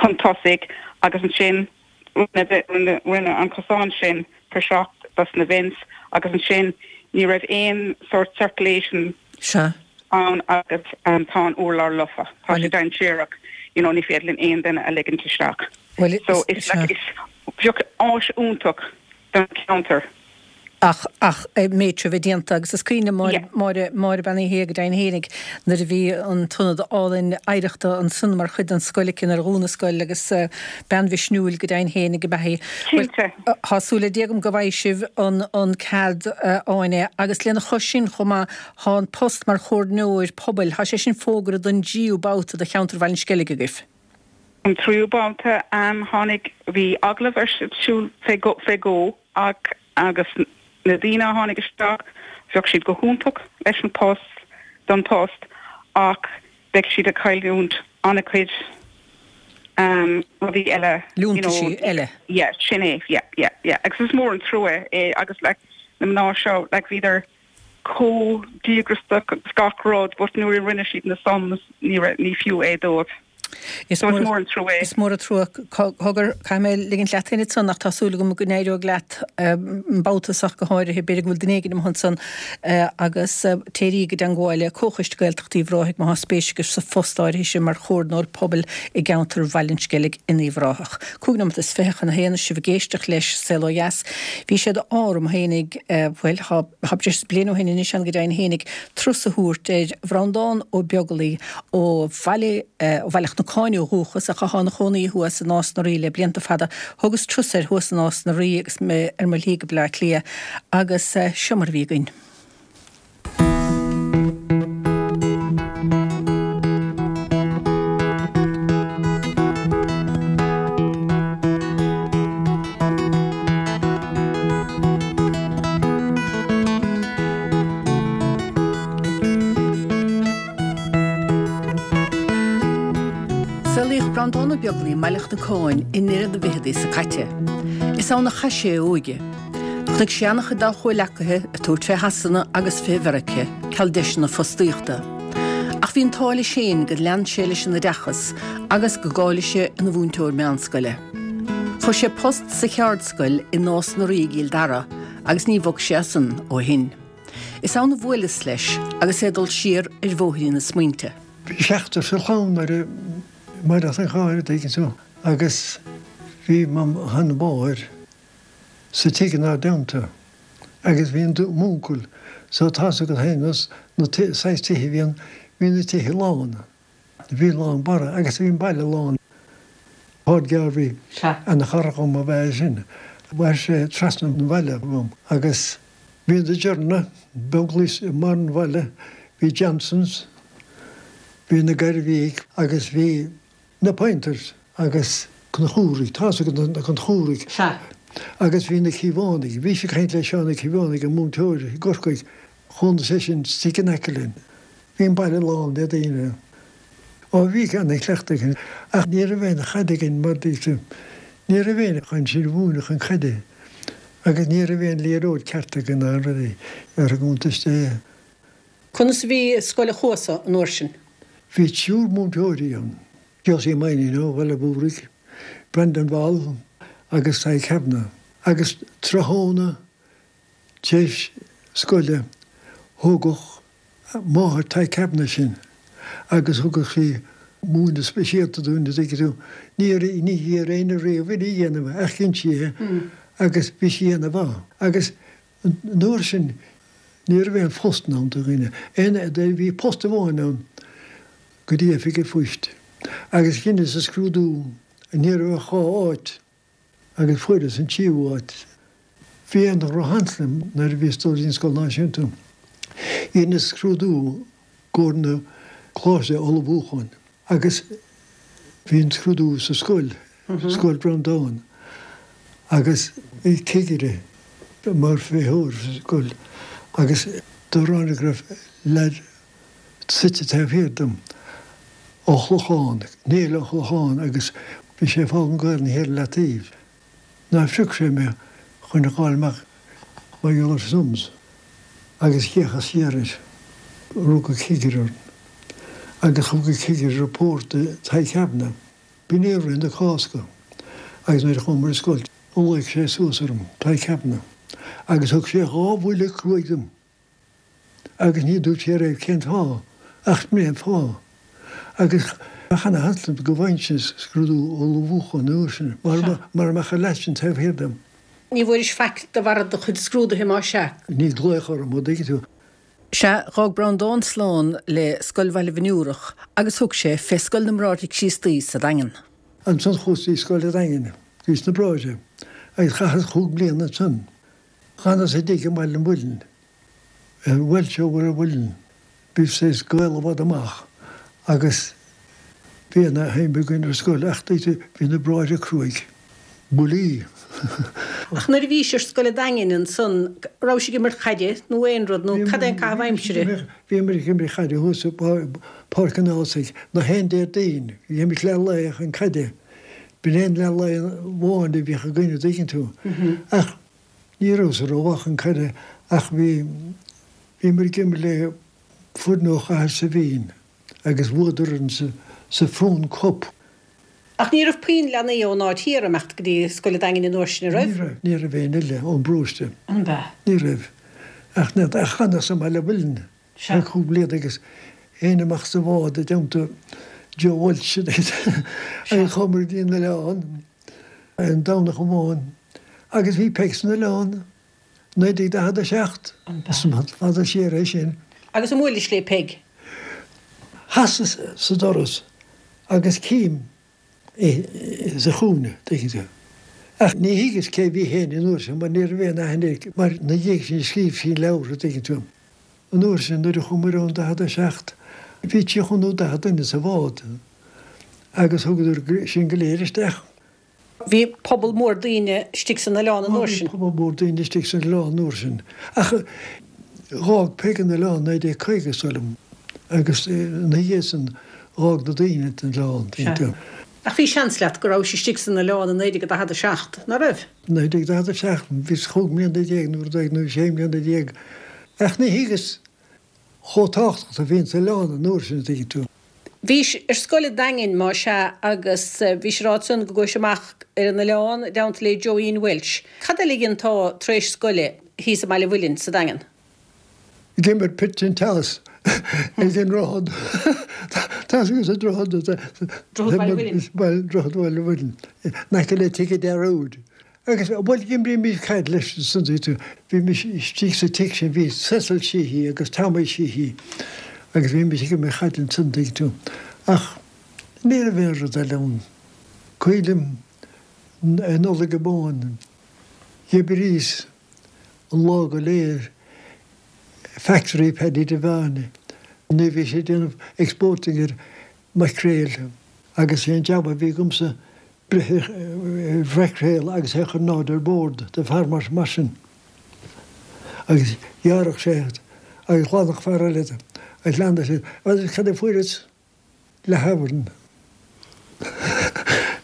chun tosaigh agus ansin rinne rinne rinne an cosán sin praiseach des na vents agus ansin ní raibh aon sort circulation Sea. ann agus um, tá an urlár lofa. Tá sé dainséarach you know, ní féidir linn aon duine a ligint isteach. Well, So it's like it's bheadh áis iontach don cheantar. Ach ach méid bheith déanta agus is cuimhin Yeah. Máire Máire Bean Uí Shé go deimhin fhéinig nuair a bhí an t-ionad álainn oidhreachta ansan mar chuid den scoil aici ar dhún na scoil agus uh, bean mhisniúil go deimhin fhéinig ab ea í. Cinnte. Tá súil agam go bhfaighidh sibh an an cead uh, Áine agus lena chois sin chomh maith tá an post mar chomhairleoir pobail, Tá sé sin fógartha don tríú babhta do cheantar Bhaile an Sceilg agaibh. An tríú babhta um, tháinig bhí agallamh ar siúl fé go fé go ach agus na daoine a tháinig isteach bheadh siad go hiontach leis an post don post ach beidh siad ag cailliúint an-chuid um, rudaí eile you Liúntaisí know, eile. Yeah, sin é, yeah, yeah, yeah. Agus is mór an trua é agus like, na mná seo like, bhíodar chomh díograiseach agus gach rud, but nuair a rinne siad na sums ní raibh- ní fiú é dóibh. Is So is mór an trua é. Is mór an trua cogar caithfidh mé ligint leat féin ansan ach tá súil agam go n-éireoidh leat babhta seo go háirithe b'fhéidir go bhfuil duine éigin ansan agus téirí go dteangmháil le Comhchoiste Gaeltachta Uíbh Ráthaigh má tá spéis agaibh sa phost áirithe sin mar chomhairleoir pobail i gceantar Bhaile an Sceilg in Uíbh Ráthach. Cúig nóiméad is fiche chun a haon sibh ag éisteacht leis Saol Ó Dheas. Bhí sé d'ádh orm fhéinig bhuel tá breis bliain ó shin anois an go deimhin fhéinig turas a thabhairt ar Bhreandán Ó Beaglaoi ó Bhaile ó Bhaile Chnocáin ó dhúchas ach atá ina chónaí thuas i Nás na Rí le blianta fada. Thugas turas air thuas i Nás na Rí agus mé ar mo shlí go Bleá Cliath agus seo mar a bhí againn. Saolaíodh Breandán Ó Beaglaoi i mBaile Chnocáin i ndeireadh na bhfichidí seo caite. Is ann a chaith sé a óige. Chonaic sé an-chuid dá chomhleacaithe ag tabhairt fé Shasana agus fé Mheiriceá, ceal deiseanna fostaíochta. Ach bhí an t-ádh leis féin gur lean sé leis an oideachas agus go gcáiligh sé ina mhúinteoir meánscoile. Fuair sé post sa cheardscoil i Nás na Rí i gCill Dara agus ní bhog sé as san ó shin. Is ann a bhuaileas leis agus é ag dul siar ar bhóithrín na smaointe. Bhí seachtar sa chlann nuair a mar as an chathair tuigeann tú agus bhí mo sheanmháthair sa tigh inár dteannta agus bhí an m'uncail so tá go hénas na saghas tithe bhí an bhí na tithe lán. Bhí lán bara agus bhí an baile lán. Páid Garvey an chara dhom a bheith sin. Mhair sé trasna an bhaile uaim agus bhí na Dearna Beaglaois i mbarr an bhaile, bhí Johnsons, bhí na Gairbhígh agus bhí na Pointers agus Conchúraigh, tá na Conchúraigh. Agus bhí na Cíobhánaigh, bhí sé caint le Seán Ó Cíobhánaigh an múinteoir i gCorcaigh Chónaigh seisean istigh in aice linn. Bhí an baile lán de dhaoine. Ó bhí ana-chleachtadh againn ach ní raibh aon chaid againn mar dúirt ní raibh aon chun sin a mhúineadh an chaide agus ní raibh aon liathróid ceart againn ná rudaí ar an gcuntas de. Conas a bhí Scoil an Chuasa an uair sin? Bhí triúr múinteoirí ann, Josie Mainnín ó Bhaile Bhúird, Brendan Ball agus Tadhg Kavanagh agus tráthnóna tar éis scoile thógadh máthair Tadhg Kavanagh sinn agus thugadh sí múineadh speisialta dúinn an dtuigeann tú. Ní ní iarr éinne riamh uirthi a dhéanamh ach dhein sí é agus bhí sí ana-mhaith. Agus an uair sin ní raibh aon phost ann do dhaoine. Aon bhí post amháin ann go dtí oifig an phoist. Agus dheineas an scrúdú ní raibh ach dhá áit agus fuaireas an tríú áit. Bhí an drochsheans liom nuair a bhíos ag dul dtí an scoil náisiúnta. Dheineas scrúdú i gcomhair na coláiste ullmhúcháin agus bhí an scrúdú sa scoil, Scoil Breandán, agus bhí cigire mar fheitheoir sa scoil agus do ráinig go raibh leaid suite taobh thiar dom ó Chlochán, Néill Ó Chlocháin agus bhí sé ag foghlaim Gaelainne thiar i leataobh. Nár phrioc sé mé chun a ghabháil amach mar gheall ar sums agus d'fhéachas siar air. Rug an cigire orm agus thug an cigire report do Tadhg Kavanagh. B'in é rith na Cásca agus nuair a chuamar ar scoil ghlaoigh sé suas orm, Tadhg Kavanagh, agus thug sé dhá bhuille cruaidh dom agus ní dúirt sé riamh cén fáth ach b'in é an fáth. Agus bheadh ana-sheans liom go bhfaighinnse scrúdú ullmhúcháin an uair sin mara mbeadh an leaid sin taobh thiar dom. Ní bhfuairis faic de bharr do chuid scrúduithe más ea? Ní glaoch orm, an dtuigeann tú. Sea, dh'fhág Breandán slán le Scoil Bhaile Bhinn Iúrach agus thug sé fé Scoil na mBráithre Críostaí sa Daingean. Ansan chuas dtí Scoil an Daingin, bhíos sna Bráithre, agus chaitheas chúig bliana ansan. D'fhanas i dtigh i mBaile an Mhuilinn, Welsh ó Bhaile an Mhuilinn. Bhí saghas gaol i bhfad amach agus bhí ana-shuim againn ar scoil ach bhí na bráithre cruaidh. Buillí. Ach nuair a bhís ar Scoil an Daingin ansan, raibh sibh ag imirt caide nó aon rud nó cad é an caitheamh aimsire? Bhíomar ag imirt caide thuas i bPáirc an Ághasaigh, nach aon Déardaoin, bhí imirt leath lae chun caide. B'in é an leath lae amháin a bhíodh againn an dtuigeann tú. Ach ní rabhas rómhaith chun caide ach bhí, bhíomar ag imirt le foireann ó Chathair Saibhín agus bhuadar orainn sa, sa Frewen Cup. Ach ní raibh puinn leanaí ón áit thiar ag imeacht go dtí Scoil an Daingin an uair sin, an raibh? Ní raibh, ní raibh aon eile ón bparóiste. An b'ea? Ní raibh. Ach ní, ach d'fhanas i mBaile Mhuilinn ar chúig bliana agus théinn amach sa bhád i dteannta Joe Walsh agus chuamar go dtí an oileán an Domhnach amháin agus bhí Peig san oileán. naoi déag daichead a seacht, is fada siar é sin. Agus an mbuailis le Peig? Sheasas sa doras agus cím í sa chúinne, tuigeann tú. Ach ní thuigeas cé bhí féin an uair sin mar ní raibh aon aithne air mar na dhiaidh sin scríobh sí leabhar, tuigeann tú. An uair sin nuair a chuamar ann daichead a seacht bhí tríocha nó daichead duine sa bhád agus thugadar sinn go léir isteach. Bhí pobal mór daoine istigh san oileán an uair sin. Bhí pobal mór daoine istigh san oileán an uair sin. Ach dh'fhág Peig an oileán naoi déag caoga is dóigh liom agus ina dhiaidh san dh'fhág na daoine an oileán, tuigeann tú. Ach bhí seans leat go rabhais istigh san oileán i naoi déag daichead a seacht, ná raibh? Naoi déag daichead a seacht, bhíos chúig mbliana déag nó rud éigin nó sé mbliana déag. Ach ní thuigeas chomh tábhachtach a bhí an t-oileán an uair sin, tuigeann tú. Bhís ar scoil an Daingin, má sea, agus bhís ag rá ansan go gcuais amach ar an oileán i dteannta le Joeín Walsh. Cad eile a dheintá tar éis scoile thíos i mBaile Mhuilinn sa Daingean? Ag imirt pitch and toss ag an droichead. Tá a fhios agat an droichead. Droichead Bhaile Mhuilinn. Droichead Bhaile Mhuilinn. In aice le Tigh an Dearúid. Agus, bhuel, d'imrímis caid leis ansan, bhímis istigh sa tigh sin, bhí Cecil Sheehy agus Tommy Sheehy agus bhímis ag imirt chaid ansan, tuigeann tú. Ach ní raibh aon rud eile ann. Cuimhin liom ar Nollaig amháin, d'oibríos an lá go léir i factory Paddy Devane nuair a bhí sé ag déanamh exporting ar maicréil agus sé an jab a bhí agamsa breith ar mhaicréal agus é a chur in airde ar bord do fear mar sin agus ghearrfadh sé Agus ghlanfadh fear eile agus leanadh siad. Agus cad a fuaireas? Leathfhabharn.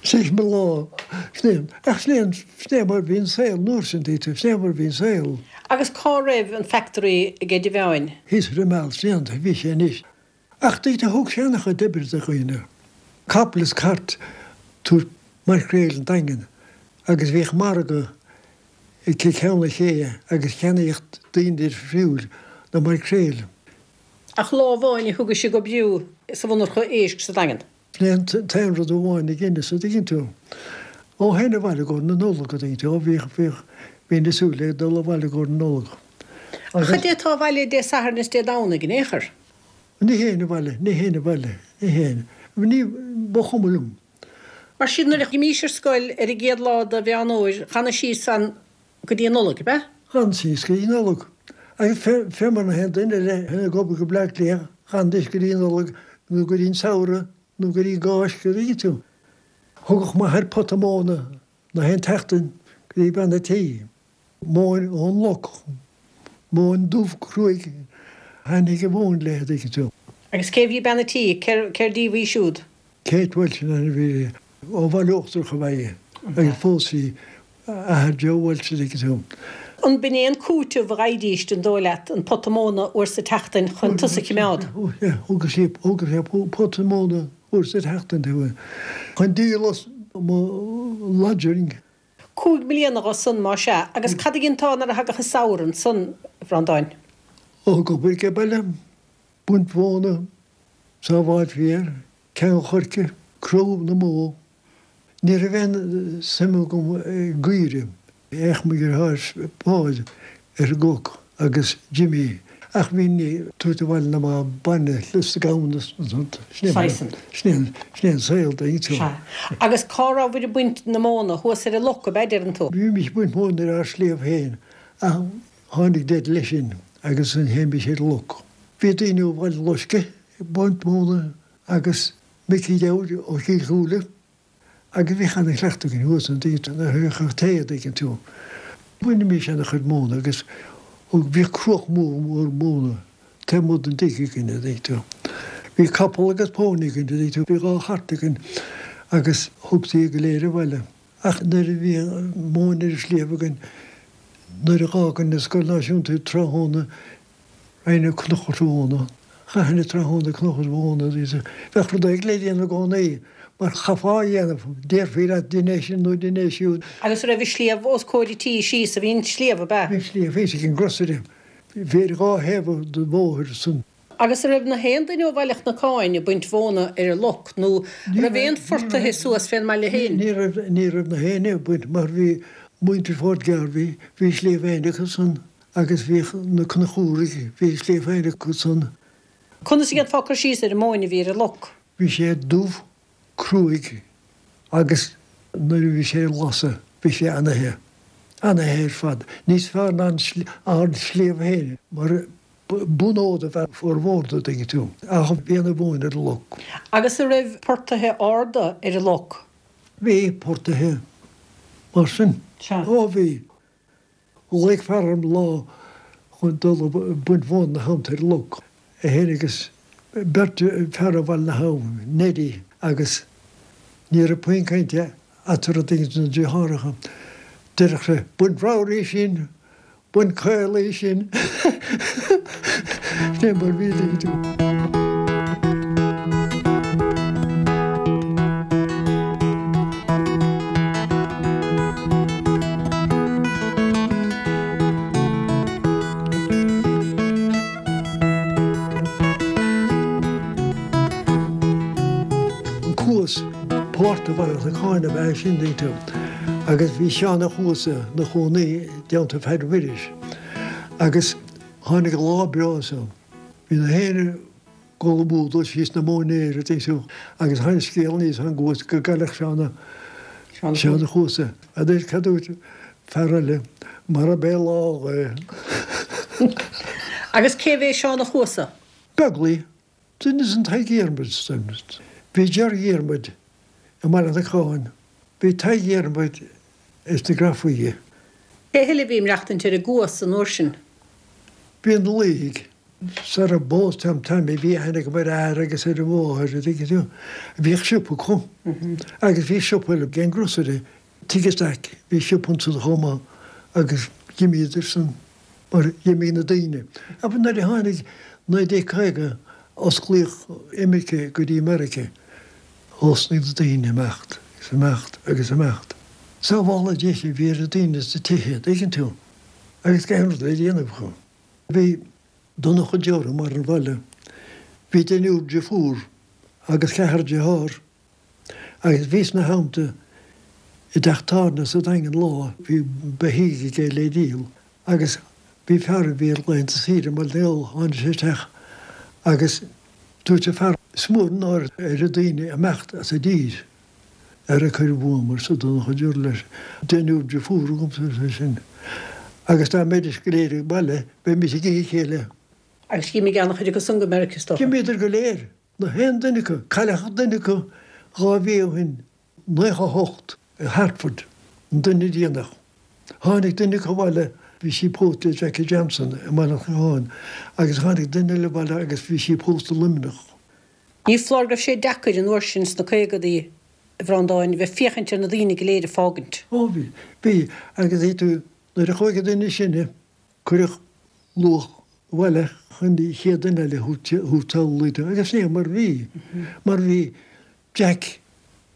Sin mo lá. Sin é, ach sin é, sin é mar bhí an saol an uair sin, dtuigeann tú, sin é mar bhí an saol. Agus cá raibh an factory ag Eddie Mheáin? Thíos ar an Meal, sin é an, bhí sé anois. Ach dtuigeann tú, thug sé an-chuid oibre do dhaoine. Capall is cairt tabhairt maicréil an Daingin agus bhíodh margadh i gCeann an Ché agus cheannaíodh daoine difriúil na maicréil. Ach lá amháin a thugadh sé go briú sa mhonarcha éisc sa Daingean. Sin é an t-aon rud amháin a dheineas, a dtuigeann tú. Ó théinn abhaile i gcomhair na Nollag, a dtuigeann tú, ó bhíodh, bhíodh, bhínn ag súil le dul abhaile i gcomhair na Nollag. Ach cad é atá abhaile Dé Sathairn is Dé Domhnaigh in aon chor? Ní théinn abhaile, ní théinn abhaile, ní théinn. Ní, ba chuma liom. Mar sin, nuair a d'imís ar scoil ar an gcéad lá de Mheán Fhómhair, chanaidh síos ann go dtí an Nollaig, ab ea? Chan síos go dtí an Nollaig. Agus fé, fé mar na haon duine eile, ag obair go Bleá Cliath, chanaidís go dtí an Nollaig nó go dtí an samhradh nó go dtí an gCáisc, a dtuigeann tú. Thugadh m'athair pota móna na haon tseachtain go dtí bean a' tí. Móin ón loc. Móin dubh cruaidh. Thaitnigh an mhóin léi, a dtuigeann tú. Agus cé bhí bean a' tí? Cér díobh í siúd? Kate Walsh an ainm a bhí uirthi. Ó Bhaile Uachtarach ab ea í agus phós sí athair Joe Walsh, a dtuigeann tú. An b'in é an cúiteamh a gheibhidís, an dóigh leat, an pota móna uair sa tseachtain chun tusa a chimeád? Thugadh sí, thugadh sé pota móna uair sa tseachtain chun díol as mo lodging. Cúig mbliana dho san, má sea. Agus cad a dheintá nuair a thagadh an samhradh ansan, a Bhreandáin? Ó, ag obair age baile, baint mhóna, sábháil féir, ceann choirce, crú na mbó. Ní raibh aon suim agam i gcaoirigh. Bhíodh mo dheartháir Paul ar an gcnoc agus Jimmy ach bhínn ag tabhairt abhaile na mba bainne is na gamhna sin é sin é an saol dtuigeann tú. Sea. Agus cá rabhabhair ag baint na móna? Thuas ar an loc, ab ea, deireann tú? Bhímis ag baint móna ar ár sliabh féin ach tháinig deireadh leis sin agus ansin théimis ar an loc. Bhí daoine ó Bhaile Loiscthe ag baint móna agus Micí Dowd ó Chill Chúile. Agus bhíodh ana-chleachtadh againn thuas an dtuigeann tú, nuair a bhíodh tae a dtuigeann tú. Bhainimis ana-chuid móna agus bhíodh cruach mór mór móna taobh amuigh den dtigh againn a dtuigeann tú. Bhí capall agus pónaí againn a dtuigeann tú, bhí dhá chairt againn agus thugtaí go léir abhaile. Ach nuair a bhí móin ar an sliabh againn, nuair a dh'fhágainn an Scoil Náisiúnta tráthnóna, Raghainn ag Cnoc an Mhóna. Chaithinn an tráthnóna ag Cnoc an Mhóna. Bheadh rud éigin le déanamh i gcónaí, mar chaithfeá a dhéanamh, déarfaí leat dein é sin nó dein é siúd. Agus an raibh an sliabh os comhair an tí síos, a bhí an sliabh, ab ea? Bhí an sliabh thíos ag an grocery. Bhí ar dhá thaobh den bhóthar san. Agus an raibh na haon duine ó Bhaile Chnocáin ag baint mhóna ar an loc nó an raibh aon phortaithe suas fén mbaile féin? Ní raibh, ní raibh na héinne ag baint mar bhí muintir Phort Garvey, bhí sliabh féin acu san. Agus bhíodh na Conchúraigh, bhí a sliabh féin acu san. Conas a dhéanfá cur síos ar an móin a bhí ar an loc? Bhí sé dubh, cruaidh agus nuair a bhí sé ag lasadh bhí sé ana-the. Ana-the ar fad. Níos fearr ná an sliabh féin mar bunfhód ab ea formhór de, dtuigeann tú. Ach bhí ana mhóin ar an loc. Agus an raibh portaithe arda ar an loc? Bhí portaithe mar sin. Sea. Ó bhí. Ghlaoigh fear orm lá chun dul ag baint mhóna ina theannta ar an loc. É féin agus beirt fear ó Bhaile na hAbhann, Neddy agus ní raibh puinn cainte eatarthu duine de na deartháireacha. Deireadh sé, Bain ramhar í sin! Bain caol í sin! Sin é mar bhí dtuigeann tú. An Cuas, páirt de Bhaile Chnocáin ab ea sin, dtuigeann tú, agus bhí Seán a' Chuasa 'na chónaí i dteannta Pheaid Mhuiris agus tháinig lá breá so, bhí na héinne, Dul amú dul síos na móinéir a dtuigeann tú agus tháinig scéal aníos ón gCuas go gcailleadh Seán a' Seán a' Chuasa. Anois cad dúirt fear eile marab é lá é. Agus cé bhé Seán a' Chuasa? Beaglaoi, duine den Tadhg Dhiarmuid. Bhí Ger Dhiarmuid i mBaile Chnocáin. Bhí Tadhg Dhiarmuid is na Grafaí. Cé heile a bhí ag maireachtaint ar an gCuas an uair sin? Bhí na Laoithigh. Sara bpós Tom Tommy bhí aithne agam ar a athair agus ar a mháthair, an dtuigeann tú. Bhíodh siopa acu agus bhí siopa eile ag an grocery, Tigh Stack, bhí siopa ansan chomh maith agus d'imíodar san mar d'imigh na daoine. Ach nuair a tháinig naoi déag caoga osclaíodh imirce go dtí Meiriceá, thosnaigh na daoine imeacht agus imeacht agus imeacht. Sábháladh Dia a bhí ar na daoine sna tithe, an dtuigeann tú, agus gan aon rud le déanamh acu. Bhí Donncha Deora mar an bhaile. Bhí deichniúr deirfiúr agus ceathrar dearthár agus bhíos ina theannta i dteach tábhairne sa Daingean lá, bhí beithígh aige le díol agus bhí fear a bhí ar laethanta saoire i mBaile na nGall, tháinig sé isteach agus dúirt an fear, Is mór an náire ar na daoine imeacht as a dtír. Ara cuir uaim, arsa Donncha Deora leis, deichniúr deirfiúr agamsa, arsa eisean, agus dá mbeidís go léir ag baile, bheimis ag ithe a chéile. Agus d'imigh an-chuid acu san go Meiriceá, is dócha. D'imíodar go léir, na haon duine acu. Cailleadh duine acu dhá mhí ó shin, naocha a hocht, i Hartford, an duine déanach. Tháinig duine acu abhaile, bhí sí pósta le Jackie Johnson i mBaile an Chlocháin, agus tháinig duine eile abhaile agus bhí sí pósta i Luimneach. Ní foláir go raibh sé deacair an uair sin sna caogadaí, a Bhreandáin, bheith féachaint ar na daoine go léir ag fágaint. Ó bhí, bhí, agus thuig tú, nuair a chuaigh an duine is sine, cuireadh luach abhaile chun an chéad duine eile a thabhairt sall, agus sin é mar a bhí, mar bhí Jack,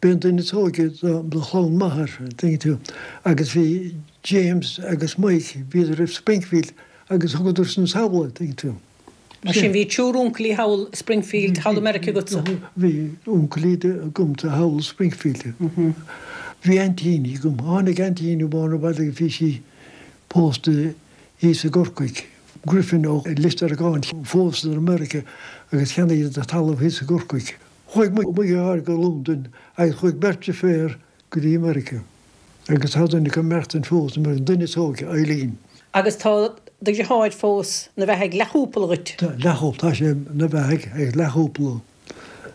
b'é an duine is óige de chlann m'athar, an dtuigeann tú, agus bhí James agus Mike, bhíodar i Springfield agus thugadar san sall, an dtuigeann tú. Mar sin bhí triúr uncailí thall i Springfield, thall i Meiriceá agatsa? Bhí uncailí agamsa thall i Springfield. Bhí aintíní agam. Tháinig aintín amháin abhaile agus bhí sí pósta thíos i gCorcaigh. Griffin ó Lios Daragáin, phósadar i Meiriceá agus cheannaíodar talamh thíos i gCorcaigh. Chuaigh mo dheartháir go Londain agus chuaigh beirt deirféar go dtí Meiriceá agus tá duine acu ag maireachtaint fós, an duine is óige, Eileen. Agus tá do dheartháir fós 'na bheathaidh, leathchúpla dhuit. Tá, leathchúpla, tá sé 'na bheathaidh ag leathchúpla.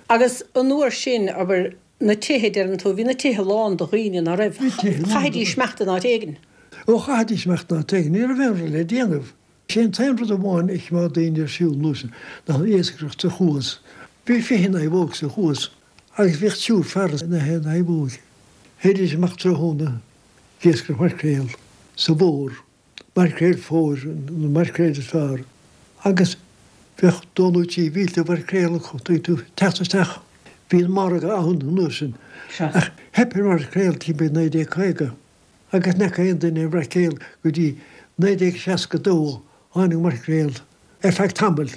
Agus an uair sin, abair, na tithe, deireann tú, bhí na tithe lán de dhaoine, ná raibh? Bhí tithe lán de. Chaithfidís imeacht in áit éigin. Ó, chaithfidís imeacht in áit éigin, ní raibh aon rud le déanamh. Sé an t-aon rud amháin a choimeád daoine ar siúl an uair sin ná an iascaireacht sa chuas. Bhí fiche naomhóg sa chuas agus bhíodh triúr fear ina haon naomhóg. Théidís amach tráthnóna ag iascaireacht maircréal sa bhfómhar, maircréal fómhair, na maircréil is fearr, agus bheadh dó nó trí mhílte mhaircréal acu, tuigeann tú, teacht isteach. Bhí an margadh ann an uair sin. Ach theip ar mhaircréal timpeall naoi déag caoga agus ní fhaca aon duine maircréal go dtí naoi déag seasca dó, tháinig maircréal ar feadh tamaill.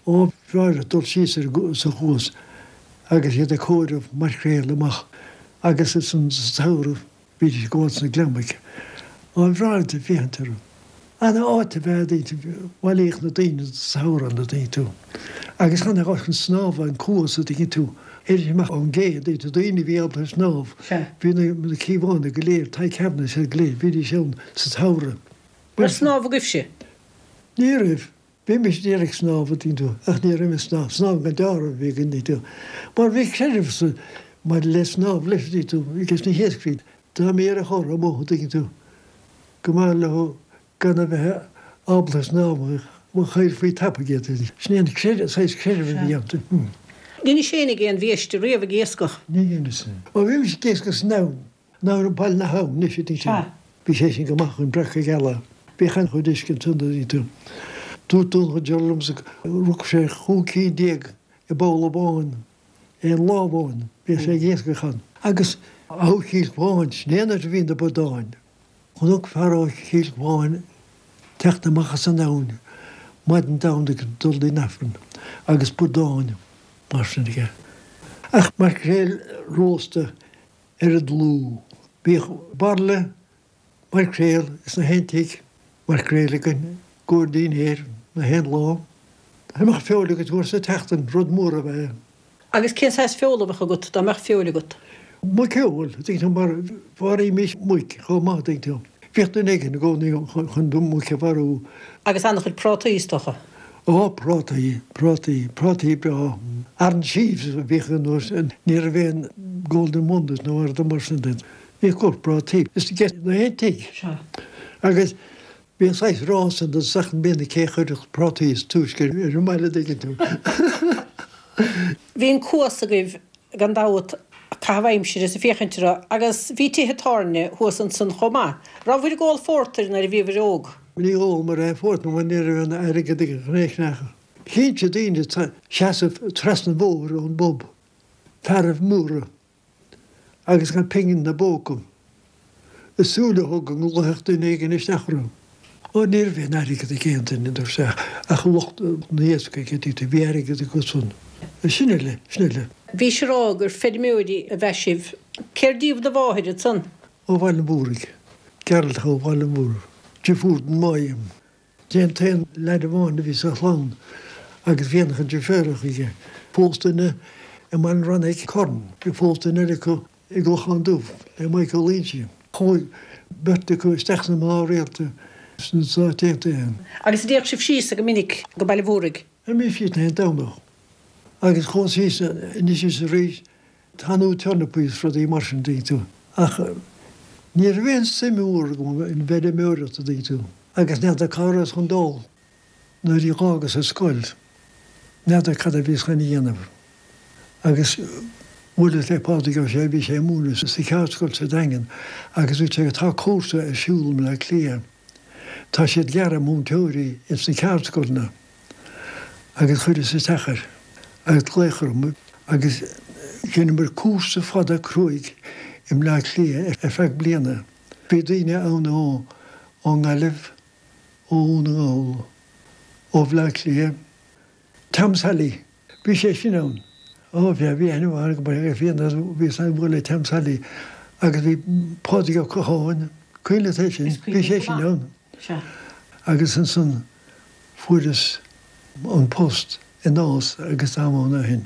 Ó bhreá dul síos ar sa chuas agus iad ag comhaireamh maircréal amach agus ansan sa tsamhradh bhídís ag gabháil sna gliomaigh. Ó bhreá ag féachaint orthu. Ana áit ab ea é, bhailíodh na daoine sa samhradh an dtuigeann tú. Agus chan áit chun snámha an cuas an dtuigeann tú. Théidís amach ón gcé, an dtuigeann tú, daoine a bhí ábalta snámh. Bhí na Cíobhánaigh go léir, Tadhg Kavanagh is iad go léir, bhídís ann sa tsamhradh. Raibh snámh agaibhse? Ní raibh. Bhí mise d'iarraidh snámh, an dtuigeann tú, ach ní raibh mé ag snámh. Snámh gan dealramh a bhí againn, an dtuigeann tú. Mar bhí creideamh sa, maidir le snámh leis, an dtuigeann tú, leis na hiascairí. Dá mba ar a chorr amuigh, an dtuigeann tú, go mb'fhearr leo gan a bheith ábalta snámh, chaillfí tapaidh iad. Sin é an creideamh, saghas creideamh a bhí ann. Dheinis féinig aon bhiaiste riamh ag iascach? Ní dheineas. Ó bhí mise ag iascach san abhainn. Abhainn Bhaile na hAbhann anois, an dtuigeann tú. Sea. Bhí sé sin go maith chun breaca geala. Bhíodh an-chuid uisce ansan, an dtuigeann tú. Dúirt Donnchadh Deora liomsa go rug sé chúig cinn déag i bpoll amháin aon lá amháin. Bhíodh sé ag iascach ann. Agus ó Chill Chuáin, sin é an áit a bhí na bradáin. Chonac fear ó Chill Chuáin teacht amach as an abhainn maidin Domhnaigh ag dul don Aifreann agus bradáin mar sin aige. Ach maircréal rósta ar an dlúth. Bhíodh bairille maircréal ins na haon tigh, maircréal againn i gcomhair dinnéir na haon lá. Dá mbeadh feoil agat uair sa tseachtain, rud mór ab ea é. Agus cén saghas feola a bheadh agat, dá mbeadh feoil agat? Muiceoil, an dtuigeann tú, mar mharaímis muic chomh maith, an dtuigeann tú. Bhíodh duine éigin i gcónaí chun muic a mharú. Agus an-chuid prátaí, is dócha. Ó, prátaí, prátaí, prátaí breá. Orange sheaves a bhíodh an uair sin, ní raibh aon Golden Wonders nó aon rud mar sin de. Bhíodh go prátaí. Is ag na haon tigh. Sea. Agus Bhí an saghas rás ann don seachtain bliana cé a chuirfeadh prátaí is túisce ar an mbaile an dtuigeann tú. Bhí an cuas agaibh gan dabht ag caitheamh aimsire is ag féachaint orthu agus bhí tithe tábhairne thuas ansan chomh maith. Rabhabhair ag ól phórtair nuair a bhíobhair óg? Ní ólamar aon phórtar mar ní raibh aon airgead ag an chnéicneach. Cinnte daoine ag seasamh trasna an bhóthair ón bpub, fearaibh móra agus gan pingin 'na bpóca. Ag súil leo go nglaofadh duine éigin isteach orthu. Ó ní raibh aon airgead ag aon duine dúirt sé ach lucht an iascaigh a dtuigtear, bhí airgead acusan. Sin uile, sin uile. Bhís ag rá gur feirmeoirí ab ea sibh. Cér díobh do mháthair ansan? Ó Bhaile an Mhúraigh. Gearaltach ó Bhaile an Mhúraigh. Deirfiúr don Mháidhm. Sé an t-aon leaid amháin a bhí sa chlann agus bhí an-chuid deirféaracha aige. Phós duine i mBaile an Rannaigh Corn. Phós duine eile acu i gClochán Dubh le Michael Ó Loingsigh. Chuaigh beirt acu isteach sna mná rialta sna Stáit Aontaithe. Agus an dtéadh sibh síos go minic go Baile Mhúraigh? Théimis síos aon Domhnach. Agus chuas síos anois is arís ag tanú turnapaí is rudaí mar sin, dtuigeann tú. Ach ní raibh aon suim mhór agam in bhfeirmeoireacht, a dtuigeann tú. Agus n'fheadar cá rabhas chun dul nuair a dh'fhágas an scoil. N'fheadar cad a bhíos chun a dhéanamh. Agus bhuaileas le Pádraig Ó Sé, bhí sé ag múineadh sa cheardscoil sa Daingean agus dúirt sé tá cúrsa ar siúl i mBleá Cliath, tá siad ag iarraidh múinteoirí ins na ceardscoileanna agus chuireas isteach air agus glaodh orm agus dheineamar cúrsa fada cruaidh i mBleá Cliath ar feadh bliana. Bhí daoine ann ó ón nGaillimh, ó Dhún na nGall, ó Bhleá Cliath, Tom Sally, bhí sé sin ann. Ó bhí, bhí aithne mhaith agam air, bhí an, bhí san ag bualadh le Tom Sally agus bhí Pádraig Ó Catháin, cuimhin leat é sin, bhí sé sin ann. Sea. Agus ansan fuaireas an post i Nás agus táim ann ó shin.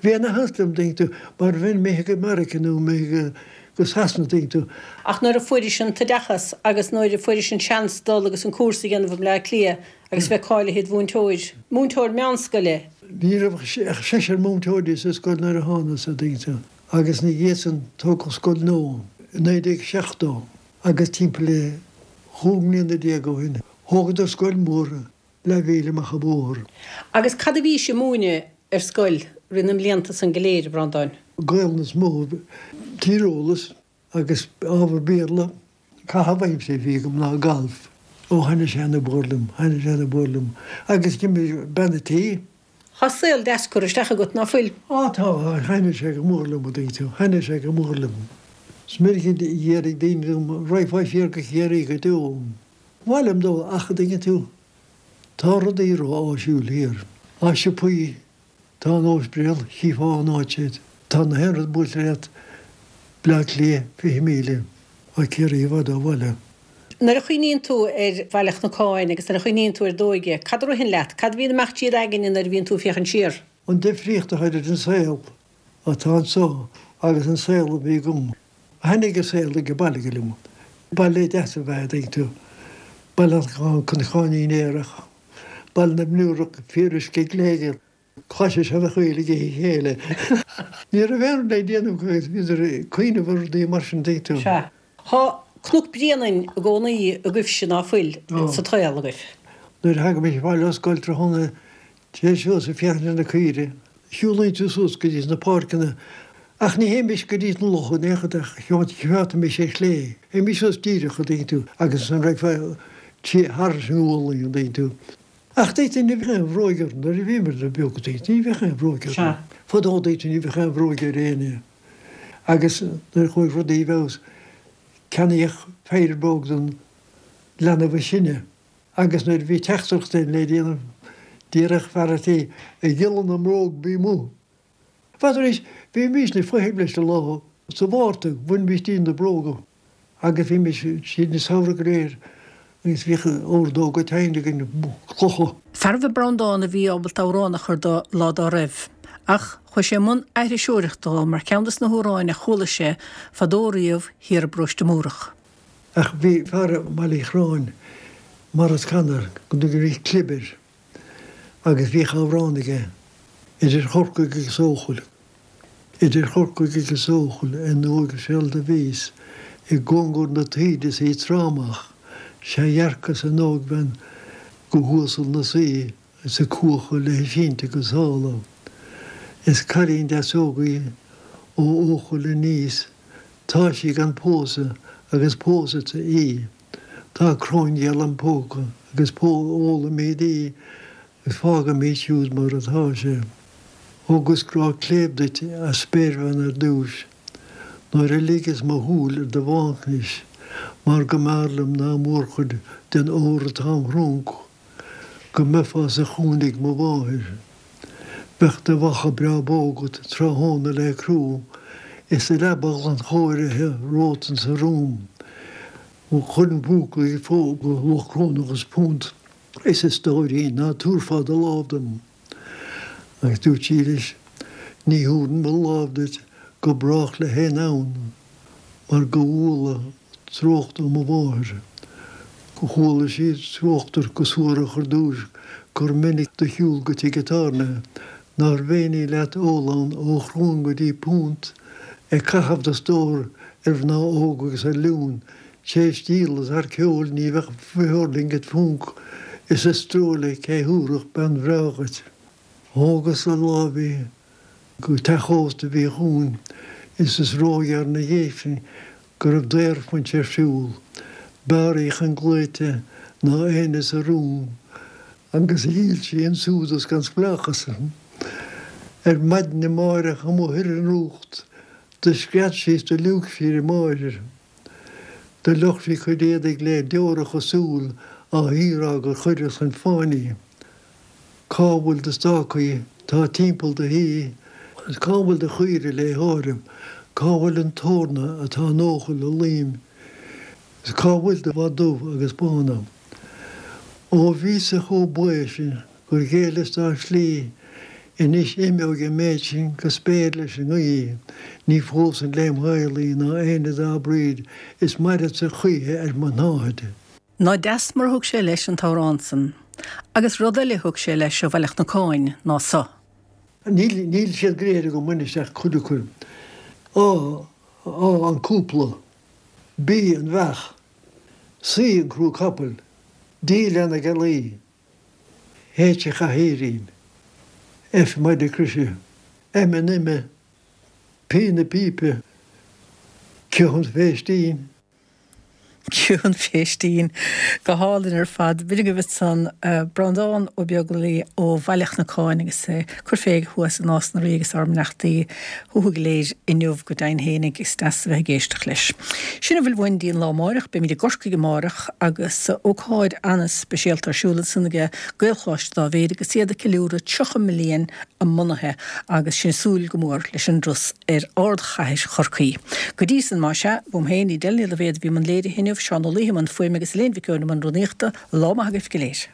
Bhí ana-shult liom, dtuigeann tú, mar bheinn imithe go Meiriceá nó imithe go Sasana, dtuigeann tú. Ach nuair a fuairis an t-oideachas agus nuair a fuairis an seans dul agus an cúrsa a dhéanamh i mBleá Cliath agus bheith cáilithe id mhúinteoir, múinteoir meánscoile. Ní raibh ach seisear múinteoirí sa scoil nuair a thánas, a dtuigeann tú, agus ina dhiaidh san tógadh scoil nua i naoi déag seachtó agus timpeall le chúig mbliana déag ó shin thógadar scoil mhór leathmhíle amach an bóthar. Agus cad a bhís ag múineadh ar scoil rith na mblianta san go léir, a Bhreandáin? Gaelainn is mó, tíreolas agus ábhar Béarla. Caitheamh aimsire a bhí agam ná galf. Ó thaitnigh sé ana mhór liom, thaitnigh sé ana mhór liom. Agus d'imir bean a' tí. Tá saol deas curtha isteach agat, ná fuil? Á tá, thaitnigh sé go mór liom, a dtuigeann tú, thaitnigh sé go mór liom. Is minic a déarfaidh daoine liom, raghfá siar go Ciarraí go deo. Ba mhaith liom dul ach, a dtuigeann tú, tá rudaí ró-áisiúil thiar. Tá siopaí, tá an ospidéal, chífeá an áit iad. Tá na haon rud buailte leat, Bleá Cliath, fiche míle, tá Ciarraí i bhfad ó bhaile. Nuair a chuimhníonn tú ar Bhaile Chnocáin agus nuair a chuimhníonn tú ar d'óige, cad a ritheann leat? Cad a bhíonn ag imeacht trí d'aigne nuair a bhíonn tú ag féachaint siar? An difríocht atá idir an saol atá anso agus an saol a bhí agam. Thaitnigh an saol age baile go liom. Baile deas ab ea é, dtuigeann tú. Baile an Cnocáinín Aerach, Baile na mBiúrach, fíoruisce gléigeal, claise seana-chaoil ag ithe a chéile. Ní raibh aon rud le déanamh acu agus bhíodar ag cuimhneamh ar rudaí mar sin, dtuigeann tú. Sea. Tá Cnoc Bréanainn i gcónaí agaibhse ná fuil sa tsaol agaibh. Nuair a thagaimis abhaile ó scoil tráthnóna téir suas ag féachaint ar na caoirigh. Shiúlainn suas go dtí na páirceanna ach ní théimis go dtí an loch in aon chor ach choimeádfaimis ar chlé. Théimis suas díreach, a dtuigeann tú, agus ansan raghfá trí thar an ngualainn, a dtuigeann tú. Ach dtuigeann tú, ní bheadh aon bhróig orainn nuair a bhíomar beag, a dtuigeann tú, ní bheadh aon bhróig orainn. Fadó, a dtuigeann tú, ní bheadh aon bhróig ar éinne. Agus nuair a chuaigh rudaí i bhfeabhas, ceannaíodh péire bróg don leanbh is sine. Agus nuair a bhí teachtaireacht le déanamh, d'iarradh fear a' tí, A ghiolla na mbróg, bí amuigh. N'fheadar anois, bhímísne ag feitheamh leis an lá sa Mhárta, bhainimís dínn na bróga agus bhímís tríd an samhradh go léir agus bhíodh ordóga teine againn, clocha. Fearbh é Breandán a bhí ábalta amhrán a chur dó lá dá raibh. Ach chuaigh sé i mbun aithriseoireachta dó mar cheann dos na hamhráin a chuala sé fadó riamh thiar i bParóiste Múrach. Ach bhí fear i mBaile Uí Chorráin, Maurice Connor, go dtugaidís Clib air, agus bhíodh amhrán aige, Idir Chorcaigh agus Eochaill, idir Chorcaigh agus Eochaill, i nDumhaigh seal do bhíos, i gcóngar na taoide is í trámach, Sea dhearcas an ógbhean go huasal 'na suí is a cuacha léi sínte go sála. Is cailín deas óg í ó Eochaill aníos, tá sí gan pósadh agus pósadsa í. Tá cróin gheal im póca agus ólaimid í agus fágaimid siúd mar atá sé. Thugas grá cléibh duit, a spéirbhean ar dtúis, nuair a ligeas mo shúil ar do bhánchnis, mar go mb'fhearr liom ná mórchuid den ór atá im thrunc, go mbeifeá sa chúinne ag mo mháthair. Bheadh do mhacha breá bó agat tráthnóna le crú, is do leaba ghlanchóirithe romhat insa rúm. Chuir an buachaill go luach crónach is punt. Is a stóirín, ná tabharfá do lámh dom. Agus dúirt sí leis, Ní thabharfainn mo lámh duit go brách le haon fhonn, mar go bhfuala treocht ó mo mháthair. Go chuala sí trácht ort go suarach ar dtúis gur minic do shiúl go tigh an tábhairne, nárbh éinní leat ól ann ó chrón go dtí punt, ag caitheamh do stór ar mhná óga agus ar liúin, Théis díola thar ceol ní bheadh feoirling id phúnc is is trua cé thabharfadh bean bhreá dhuit. Thógas le láimh í go teach ósta a bhí chugainn is is róghearr 'na dhiaidh sin go raibh daorphuins ar siúl. B'fhearr í chun glaoite ná éinne sa rúm agus dhíol sí an súdas gan spleáchas. Ar maidin amáireach amuigh ar an ndrúcht do scread sí is do liúigh sí ar a máthair. Do fhliuch sí a cuid éadaigh le deoracha súl á hiarraidh gur chuireas chun fáin í. Cá bhfuil do stácaí tá timpeall do thí is cá bhfuil do chaoire le háireamh, cá bhfuil an t-eorna atá in Eochaill a luím is cá bhfuil do bha dubh agus bána? Ó bhíos-sa chomh baoth sin gur ghéilleas dá slí, anois imeoidh an méid sin go spéir leis an ngaoth, ní phósfainn lem shaol í ná éinne dá breed is mairfeadsa choíche ar mo shnáthaid. Ná deas mar a thug sé leis an t-amhrán san. Agus rud eile a thug sé leis ó Bhaile Chnocáin ná so. Níl, níl siad go léir agam anois ach cuid acu. A, A, an cúpla. B, an bheach. C, an crú capaill. D, leath na gealaí. H, an chathaoirín. F, maide croise. M, an ime. P, na pípe. Q, an phéistín. Q an phéistín. Go hálainn ar fad. B'in agaibh ansan Breandán Ó Beaglaoi ó Bhaile Chnocáin agus é ag cur fé thuas i Nás na Rí agus ár mbeannachtaí chucu go léir inniu go deimhin fhéinig. Is deas a bheith ag éisteacht leis. Sin a bhfuil uainn go dtí an lá amáireach. Beimid i gCorcaigh amárach agus ócáid an-speisialta ar siúl ansan ag Gaelcholáiste Dá Mhéad agus iad ag ceiliúradh tríocha mbliain a mbunaithe agus sinn ag súil go mór leis an dturas ar ardchathair Chorcaí. Go dtí san, más ea, uaim féin, Edel Ní Loibhéad a bhí i mbun léirithe inniu, Seán Ó Laoithe i mbun fuaime agus Elaine Mhic Eoin i mbun rúnaíochta, lá maith agaibh go léir.